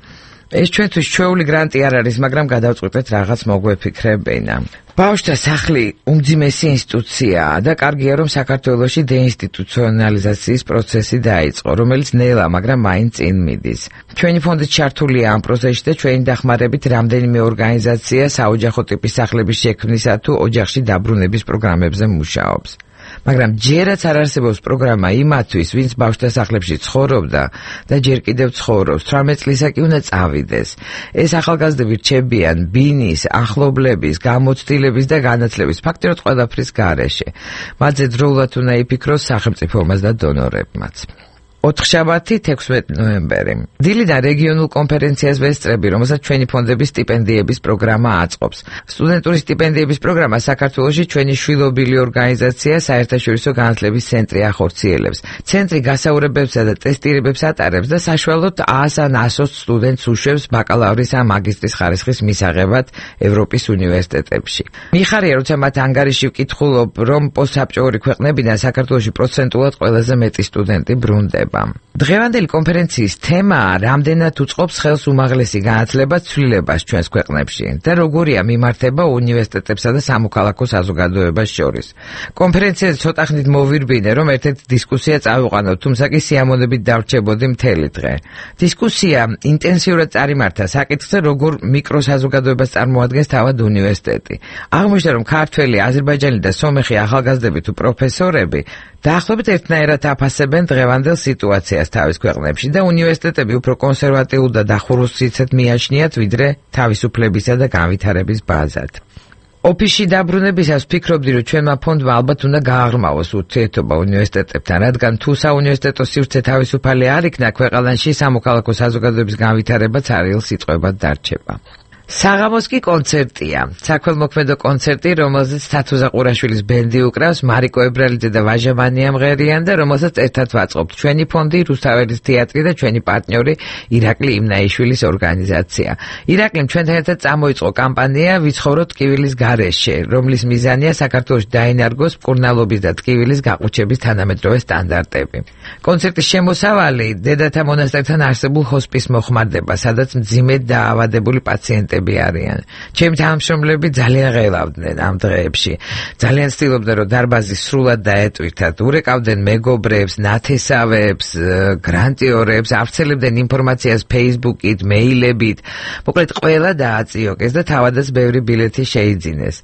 ეს ჩვენთვის ჩვეული გრანტი არ არის, მაგრამ გადავწყვიტეთ რაღაც მოგვეფიქრებინა. ბავშვთა სახლი უმძიმესი ინსტიტუციაა და კარგია, რომ საქართველოში დეინსტიტუციონალიზაციის პროცესი დაიწყო, რომელიც ნელა, მაგრამ მაინც წინ მიდის. ჩვენი ფონდი ჩართულია ამ პროცესში და ჩვენი დახმარებით რამდენიმე ორგანიზაცია საოჯახო ტიპის სახლების შექმნისა თუ ოჯახში დაბრუნების პროგრამებზე მუშაობს. მაგრამ ჯერაც არ არსებობს პროგრამა იმათთვის, ვინც ბავშვთა სახლებში ცხოვრობდა და ჯერ კიდევ ცხოვრობს, 18 წლისა კი უნდა წავიდეს. ეს ახალგაზრდები რჩებიან ბინის, ახლობლების, გამოცდილების და განათლების ფაქტიურად ყველაფრის გარეშე. მათზე დროულად უნდა იფიქროს სახელმწიფომაც და დონორებმაც. ოთხშაბათი 16 ნოემბერი. დილიდან რეგიონულ კონფერენციას ვესწრები, რომელსაც ჩვენი ფონდების სტიპენდიების პროგრამა აწყობს. სტუდენტური სტიპენდიების პროგრამა საქართველოში ჩვენი შვილობილი ორგანიზაცია საერთაშორისო განათლების ცენტრი ახორციელებს. ცენტრი გასაუბრებებსა და ტესტირებებს ატარებს და საშუალოდ 100 ან 120 სტუდენტს უშვებს ბაკალავრის ან მაგისტრის ხარისხის მისაღებად ევროპის უნივერსიტეტებში. მიხარია, როცა მათ ანგარიში ვკითხულობ, რომ პოსტსაბჭოური ქვეყნებიდან საქართველოში პროცენტულად ყველაზე მეტი სტუდენტი ბრუნდება. დღევანდელი კონფერენციის თემაა რამდენად უწყობს ხელს უმაღლესი განათლება ცვლილებას ჩვენს ქვეყნებში და როგორია მიმართება უნივერსიტეტებსა და სამოქალაქო საზოგადოებას შორის. კონფერენციაზე ცოტა ხნით მოვირბინე, რომ ერთ-ერთი დისკუსია წავიყვანოთ, თუმცა კი სიამოვნებით დავრჩებოდი მთელი დღე. დისკუსია ინტენსიურად წარიმართა საკითხზე, როგორ მიკროსაზოგადოებას წარმოადგენს თავად უნივერსიტეტი. აღმოჩნდა, რომ ქართველი, აზერბაიჯანი და სომეხი ახალგაზრდები თუ პროფესორები დაახლოებით ერთნაირად აფასებენ დღევანდელ სიტუაციას თავის ქვეყნებში და უნივერსიტეტები უფრო კონსერვატიულ და დახურულ სიცეთ მიაჩნიათ, ვიდრე თავისუფლებისა და განვითარების ბაზად. ოფისში დაბრუნებისას ვფიქრობდი, რომ ჩვენმა ფონდმა ალბათ უნდა გააღრმავოს ურთიერთობა უნივერსიტეტებთან, რადგან თუ საუნივერსიტეტო სივრცე თავისუფალი არ იქნა, ქვეყანაში სამოქალაქო საზოგადოების განვითარებაც არიელ სიტყვებად დარჩება. საღამოს კი კონცერტია. საქველმოქმედო კონცერტი, რომელზეც თათო ზაყურაშვილის ბენდი უკრავს, მარიკო ებრალიძე და ვაჟა მანიამღერიან და რომელსაც ერთად ვაწყობთ ჩვენი ფონდი, რუსთაველის თეატრი და ჩვენი პარტნიორი ირაკლი იმნაიშვილის ორგანიზაცია. ირაკლიმ ჩვენთან ერთად წამოიწყო კამპანია ვიცხოვროთ ტკივილის გარეშე, რომლის მიზანია საქართველოში დაინარგოს მკურნალობის და ტკივილის გაყუჩების თანამედროვე სტანდარტები. კონცერტის შემოსავალი დედათა მონასტერთან არსებულ ჰოსპის მოხმარდება, სადაც მძიმედ დაავადებული პაციენტები არიან. ჩემი თანამშრომლები ძალიან ღელავდნენ ამ დღეებში. ძალიან ცდილობდნენ, რომ დარბაზი სრულად დაეტვირთათ. ურეკავდნენ მეგობრებს, ნათესავებს, გრანტიორებს, ავრცელებდნენ ინფორმაციას Facebook-ით, მეილებით. მოკლედ ყველა დააწიოკეს და თავადაც ბევრი ბილეთი შეიძინეს.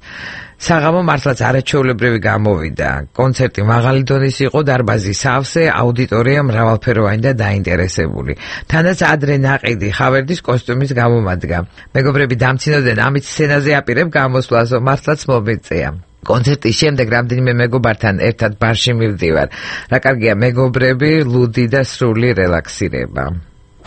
საღამო მართლაც არაჩვეულებრივი გამოვიდა. კონცერტი მაღალი დონის იყო, დარბაზი სავსე, აუდიტორია მრავალფეროვანი და დაინტერესებული. თანაც ადრე ნაყიდი ხავერდის კოსტუმის გამომადგა. მეგობრები დამცინოდნენ, ამით სცენაზე აპირებ გამოსვლას, მართლაც მომეწია. კონცერტის შემდეგ რამდენიმე მეგობართან ერთად ბარში მივდივარ. რა კარგია მეგობრები, ლუდი და სრული რელაქსირება.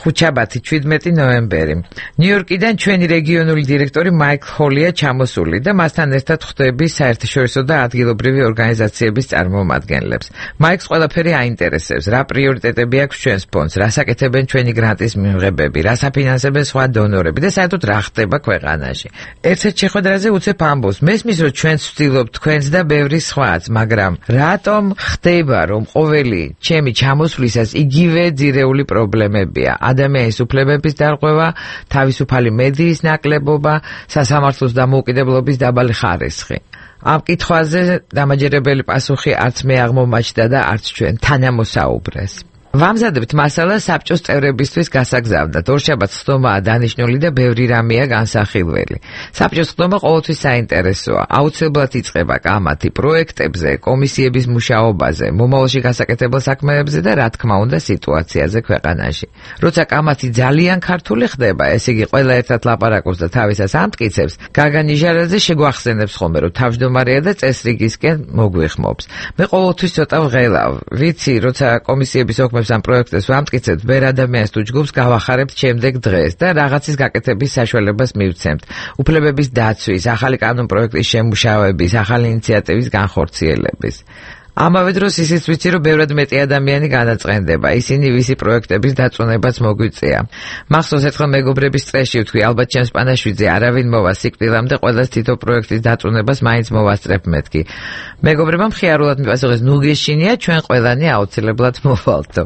ხუთშაბათი 17 ნოემბერი. ნიუ-იორკიდან ჩვენი რეგიონული დირექტორი მაიკლ ჰოლია ჩამოსული და მასთან ერთად ხვდები საერთაშორისო და ადგილობრივი ორგანიზაციების წარმომადგენლებს. მაიკლს ყველაფერი აინტერესებს, რა პრიორიტეტები აქვს ჩვენს ფონდს, რას აკეთებენ ჩვენი გრანტის მიმღებები, რას აფინანსებენ სხვა დონორები და საერთოდ რა ხდება ქვეყანაში. ერთ-ერთ შეხვედრაზე უცებ ამბობს, მესმის რომ ჩვენც ვცდილობთ თქვენს და ბევრი სხვაც, მაგრამ რატომ ხდება რომ ყოველი ჩემი ჩამოსვლისას იგივე ძირეული პრობლემებია? ადამიანის უფლებების დარღვევა, თავისუფალი მედიის ნაკლებობა, სასამართლოს დამოუკიდებლობის დაბალი ხარისხი. ამ კითხვაზე დამაჯერებელი პასუხი არც მე აღმომაჩნდა და არც ჩვენ თანამოსაუბრეს. ვამზადებთ მასალას საბჭოს წევრებისთვის გასაგზავნად. ორშაბათს ხდომაა დანიშნული და ბევრი რამეა განსახილველი. საბჭოს ხდომა ყოველთვის საინტერესოა. აუცილებლად იწყება კამათი პროექტებზე, კომისიების მუშაობაზე, მომავალში გასაკეთებელ საქმეებზე და რა თქმა უნდა სიტუაციაზე ქვეყანაში. როცა კამათი ძალიან ქართული ხდება, ესე იგი ყველა ერთად ლაპარაკობს და თავისას ამტკიცებს, გაგა ნიჟარაძე შეგვახსენებს ხოლმე, რომ თავმჯდომარეა და წესრიგისკენ მოგვიხმობს. მე ყოველთვის ცოტა ვღელავ. ვიცი, როცა კომისიების ამ პროექტებს ვამტკიცებთ, ვერ ადამიანს თუ ჯგუფს გავახარებთ შემდეგ დღეს და რაღაცის გაკეთების საშუალებას მივცემთ. უფლებების დაცვის, ახალი კანონ პროექტის შემუშავების, ახალი ინიციატივის განხორციელების. ამავე დროს ისიც ვიცი, რომ ბევრად მეტი ადამიანი განაწყენდება. ისინი ვისი პროექტების დაწუნებაც მოგვიწია. მახსოვს ერთხელ მეგობრების წრეში ვთქვი, ალბათ ჩემს პანაშვიდზე არავინ მოვა სიკვდილამდე, ყველას თითო პროექტის დაწუნებას მაინც მოვასწრებ მეთქი. მეგობრებმა მხიარულად მიპასუხეს, ნუ გეშინია, ჩვენ ყველანი აუცილებლად მოვალთო.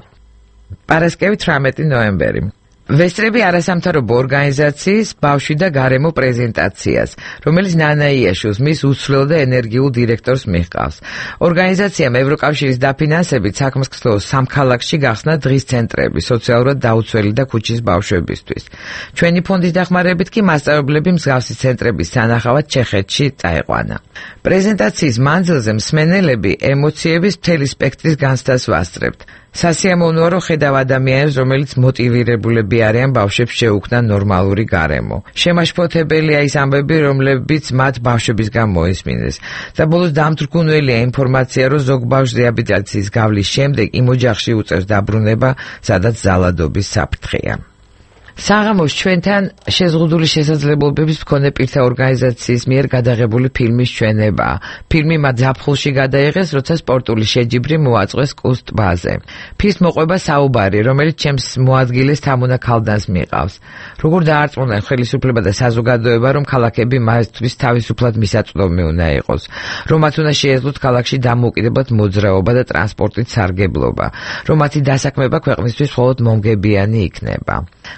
პარასკევი 18 ნოემბერი. ვესწრები არასამთავრობო ორგანიზაციის ბავშვი და გარემო პრეზენტაციას, რომელიც ნანა იაშუს მის უცვლელ და ენერგიულ დირექტორს მიჰყავს. ორგანიზაციამ ევროკავშირის დაფინანსებით საქმის სამქალაქში გახსნა დღის ცენტრები სოციალურად დაუცველი და ქუჩის ბავშვებისთვის. ჩვენი ფონდის დახმარებით კი მასწავლებლები მსგავსი ცენტრების სანახავად ჩეხეთში წაიყვანა. პრეზენტაციის მანძილზე მსმენელები ემოციების მთელი სპექტრის განცდას ვასწრებთ. სასიამოვნოა, რომ ხედავ ადამიანებს, რომელიც მოტივირებულები არიან ბავშვებს შეუქმნან ნორმალური გარემო. შემაშფოთებელია ის ამბები, რომლებიც მათ ბავშვების გამოისმინეს. და ბოლოს დამთრგუნველია ინფორმაცია, რომ ზოგ ბავშვს რეაბილიტაციის გავლის შემდეგ იმ ოჯახში უწევს დაბრუნება, სადაც ზალადობის საფრთხეა. საღამოს ჩვენთან შეზღუდული შესაძლებლობების მქონე პირთა ორგანიზაციის მიერ გადაღებული ფილმის ჩვენებაა. ფილმი მათ ზაფხულში გადაიღეს, როცა სპორტული შეჯიბრი მოაწყვეს კუს ტბაზე. ფილმს მოყვება საუბარი, რომელიც ჩემს მოადგილეს თამუნა ქალდანს მიყავს. როგორ დაარწმუნდა ხელისუფლება და საზოგადოება, რომ ქალაქები მასთვის თავისუფლად მისაწვდომი უნდა იყოს, რომ მათ უნდა შეეძლოთ ქალაქში დამოუკიდებლად მოძრაობა და ტრანსპორტით სარგებლობა, რომ მათი დასაქმება ქვეყნისთვის მხოლოდ მომგებიანი იქნება.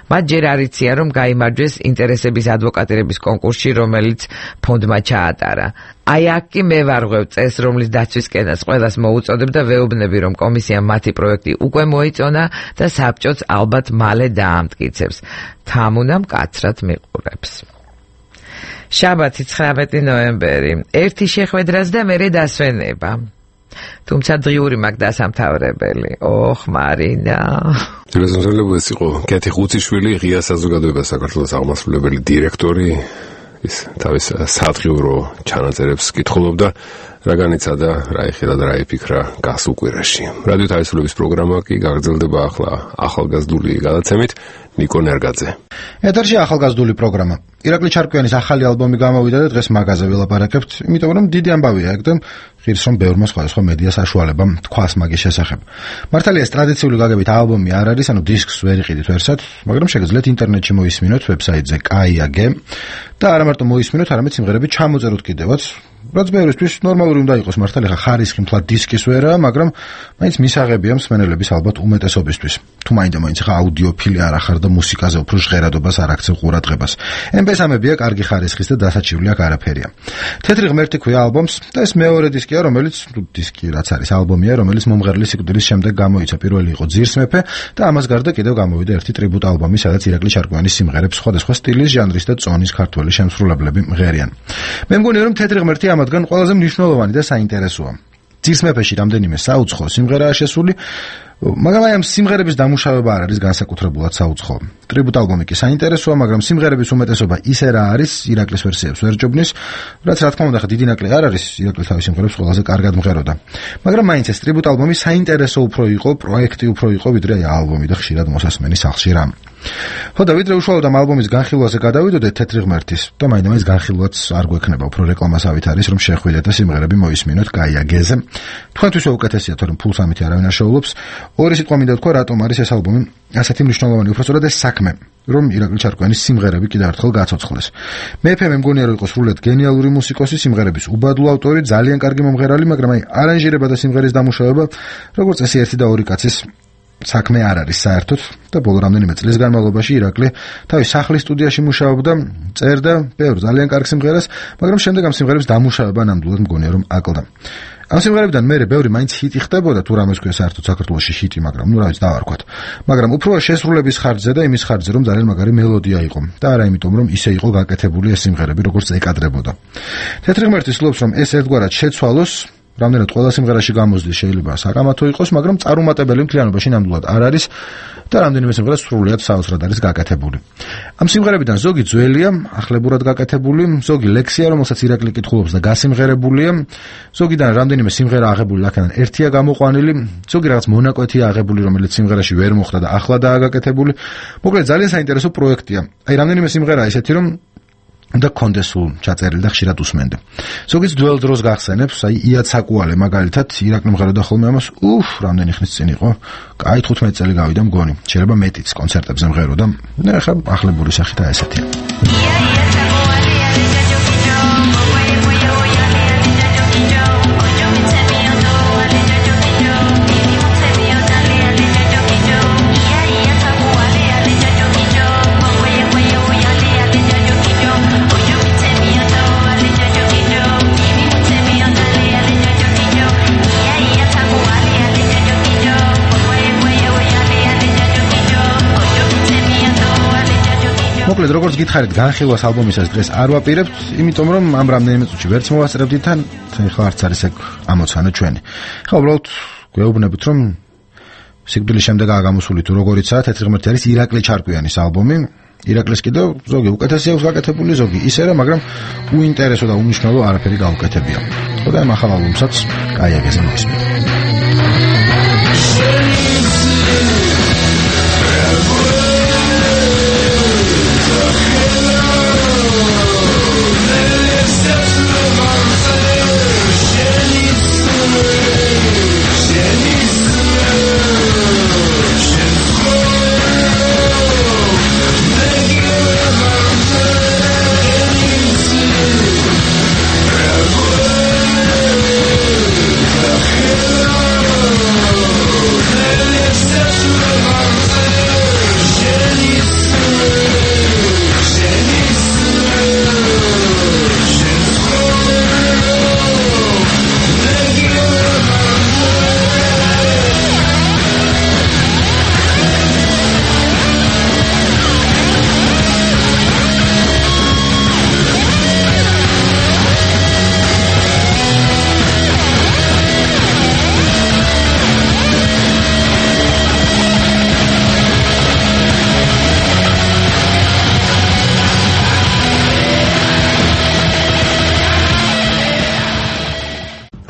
მათ ჯერ არ იციან, რომ გაიმარჯვეს ინტერესების ადვოკატირების კონკურსში, რომელიც ფონდმა ჩაატარა. აი აქ კი მე ვარღვევ წეს, რომლის დაცვისკენაც ყველას მოუწოდებ და ვეუბნები, რომ კომისიამ მათი პროექტი უკვე მოიწონა და საბჭოც ალბათ მალე დაამტკიცებს. თამუნა მკაცრად მიყურებს. შაბათი 19 ნოემბერი. ერთი შეხვედრაც და მერე დასვენება. თუმცა დღიური მაქვს დასამთავრებელი. ოხ, მარინა. ეს იყო კეთი ხუციშვილი, ღია საზოგადოება საქართველოს აღმასრულებელი დირექტორი. ის თავის სათხიურო ჩანაწერებს კითხულობდა, რა განიცადა, რა იხილა და რა იფიქრა გასულ კვირაში. რადიო თავისუფლების პროგრამა კი გაგრძელდება ახლა ახალგაზრდული გადაცემით. ნიკო ნერგაძე. ეთერში ახალგაზრდული პროგრამა. ირაკლი ჩარკვიანის ახალი ალბომი გამოვიდა და დღეს მაგაზე ველაპარაკებთ, იმიტომ რომ დიდი ამბავია ეგ და ღირს რომ ბევრმა სხვადასხვა მედია საშუალებამ თქვას მაგის შესახებ. მართალია ეს ტრადიციული გაგებით ალბომი არ არის, ანუ დისკს ვერ იყიდით ვერსად, მაგრამ შეგიძლიათ ინტერნეტში მოისმინოთ ვებსაიტზე KAIAG და არა მარტო მოისმინოთ, არამედ სიმღერები ჩამოწეროთ კიდევაც. რაც ბევრისთვის ნორმალური უნდა იყოს, მართალია ხარისხი მთლად დისკის ვერაა, მაგრამ მაინც მისაღებია მსმენელების ალბათ უმეტესობისთვის. თუ მაინდა-მაინც ხა აუდიოფილი არ ახარ და მუსიკაზე უფრო ჟღერადობას არ აქცევ ყურადღებას. MP3-ამებია კარგი ხარისხის და დასაჩივლი აქ არაფერია. თეთრი ღმერთი ქვია ალბომს და ეს მეორე დისკია, რომელიც დისკი რაც არის ალბომია, რომელიც მომღერლის სიკვდილის შემდეგ გამოიცა. პირველი იყო ძირს მეფე და ამას გარდა კიდევ გამოვიდა ერთი ტრიბუტ ალბომი, სადაც ირაკლი ჩარკვიანის სიმღერებს სხვადასხვა სტილის, ჟანრის და წონის ქართველი შემსრულებლები მღერიან. მე მგონია რომ თეთრი ღმერთი ამათგან ყველაზე მნიშვნელოვანი და საინტერესოა. ძირს მეფეში რამდენიმე საუცხო სიმღერაა შესული, მაგრამ აი ამ სიმღერების დამუშავება არ არის განსაკუთრებულად საუცხო. ტრიბუტ ალბომი კი საინტერესოა, მაგრამ სიმღერების უმეტესობა ისე რა არის, ირაკლის ვერსიებს ვერ ჯობნის, რაც რა თქმა უნდა დიდი ნაკლი არ არის, ირაკლის თავის სიმღერებს ყველაზე კარგად მღეროდა. მაგრამ მაინც ეს ტრიბუტ ალბომი საინტერესო უფრო იყო, პროექტი უფრო იყო, ვიდრე აი ალბომი და ხშირად მოსასმენი სახლში რამ. ხო და ვიდრე უშუალოდ ამ ალბომის განხილვაზე გადავიდოდეთ თეთრი ღმერთის და მაინც განხილვაც არ გვექნება, უფრო რეკლამასავით არის, რომ შეხვიდეთ და სიმღერები მოისმინოთ KAIAG-ზე. თქვენთვის უკეთესია, თორემ ფულს ამით არავინ არ შეუძლებს. ორი სიტყვა მინდა თქვა, რატომ არის ეს ალბომი ასეთი მნიშვნელოვანი, უბრალოდ ეს საქმე, რომ ირაკლი ჩარკვიანის სიმღერები კიდევ ერთხელ გაცოცხლეს. მეფე მე მგონია რომ იყო სრულიად გენიალური მუსიკოსი, სიმღერების უბადლო ავტორი, ძალიან კარგი მომღერალი, მაგრამ აი არანჟირება და სიმღერის დამუშავება, როგორც წესი ერთი და ორი კაცის საქმე არ არის საერთოდ და ბოლო რამდენიმე წლის განმავლობაში ირაკლი თავის სახლის სტუდიაში მუშაობდა, წერდა ბევრ ძალიან კარგ სიმღერას, მაგრამ შემდეგ ამ სიმღერების დამუშავება ნამდვილად მგონია რომ აკლდა. ამ სიმღერებიდან მერე ბევრი მაინც ჰიტი ხდებოდა, თუ რამეს ქვია საერთოდ საქართველოში ჰიტი, მაგრამ ნუ რა ვიცი დავარქვათ. მაგრამ უფრო შესრულების ხარჯზე და იმის ხარჯზე, რომ ძალიან მაგარი მელოდია იყო და არა იმიტომ, რომ ისე იყო გაკეთებული ეს სიმღერები, როგორც ეკადრებოდა. თეთრი ღმერთი ცდილობს, რომ ეს ერთგვარად შეცვალოს, რამდენად ყველა სიმღერაში გამოსვლის შეიძლება საკამათო იყოს, მაგრამ წარუმატებელი მთლიანობაში ნამდვილად არ არის და რამდენიმე სიმღერა სრულიად საოცრად არის გაკეთებული. ამ სიმღერებიდან ზოგი ძველია, ახლებურად გაკეთებული, ზოგი ლექსია, რომელსაც ირაკლი კითხულობს და გასიმღერებულია, ზოგიდან რამდენიმე სიმღერა აღებული აქედან ერთია გამოყვანილი, ზოგი რაღაც მონაკვეთია აღებული, რომელიც სიმღერაში ვერ მოხდა და ახლადაა გაკეთებული. მოკლედ ძალიან საინტერესო პროექტია. აი რამდენიმე სიმღერა ისეთი, რომ და კონდეს სულ ჩაწერილი და ხშირად უსმენდა. ზოგიც ძველ დროს გახსენებს, აი ია ცაკუალე მაგალითად ირაკლი მღეროდა ხოლმე ამას, რამდენი ხნის წინ იყო, კაი 15 წელი გავიდა მგონი. შეიძლება მეტიც კონცერტებზე მღეროდა. და ახლა ახლებური სახით ესეთია. მოკლედ როგორც გითხარით, განხილვას ალბომისას დღეს არ ვაპირებთ, იმიტომ რომ ამ რამდენიმე წუთში ვერც მოვასწრებდით თან, ხა არც არის ეგ ამოცანა ჩვენი. ხა უბრალოდ გვეუბნებით, რომ სიკვდილის შემდეგაა გამოსული თუ როგორიცაა, თეთრი ღმერთი არის ირაკლი ჩარკვიანის ალბომი. ირაკლის კიდევ ზოგი უკეთესი აქვს გაკეთებული, ზოგი ისე რა, მაგრამ უინტერესო და უნიშნელო არაფერი გაუკეთებია. ხოდა ამ ახალ ალბომსაც გაიაგეზა მოვისმენთ.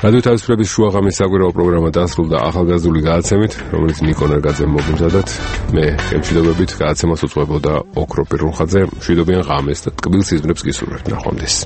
რადიო თავისუფლების შუაღამის საკვირაო პროგრამა დასრულდა ახალგაზრდული გადაცემით, რომელიც ნიკო ნერგაძემ მოგიმზადათ. მე ემშვიდობებით გადაცემას უწყობოდა ოქრო პირუნხაძე. მშვიდობიან ღამეს და ტკბილ სიზმრებს გისურვებთ. ნახვამდის.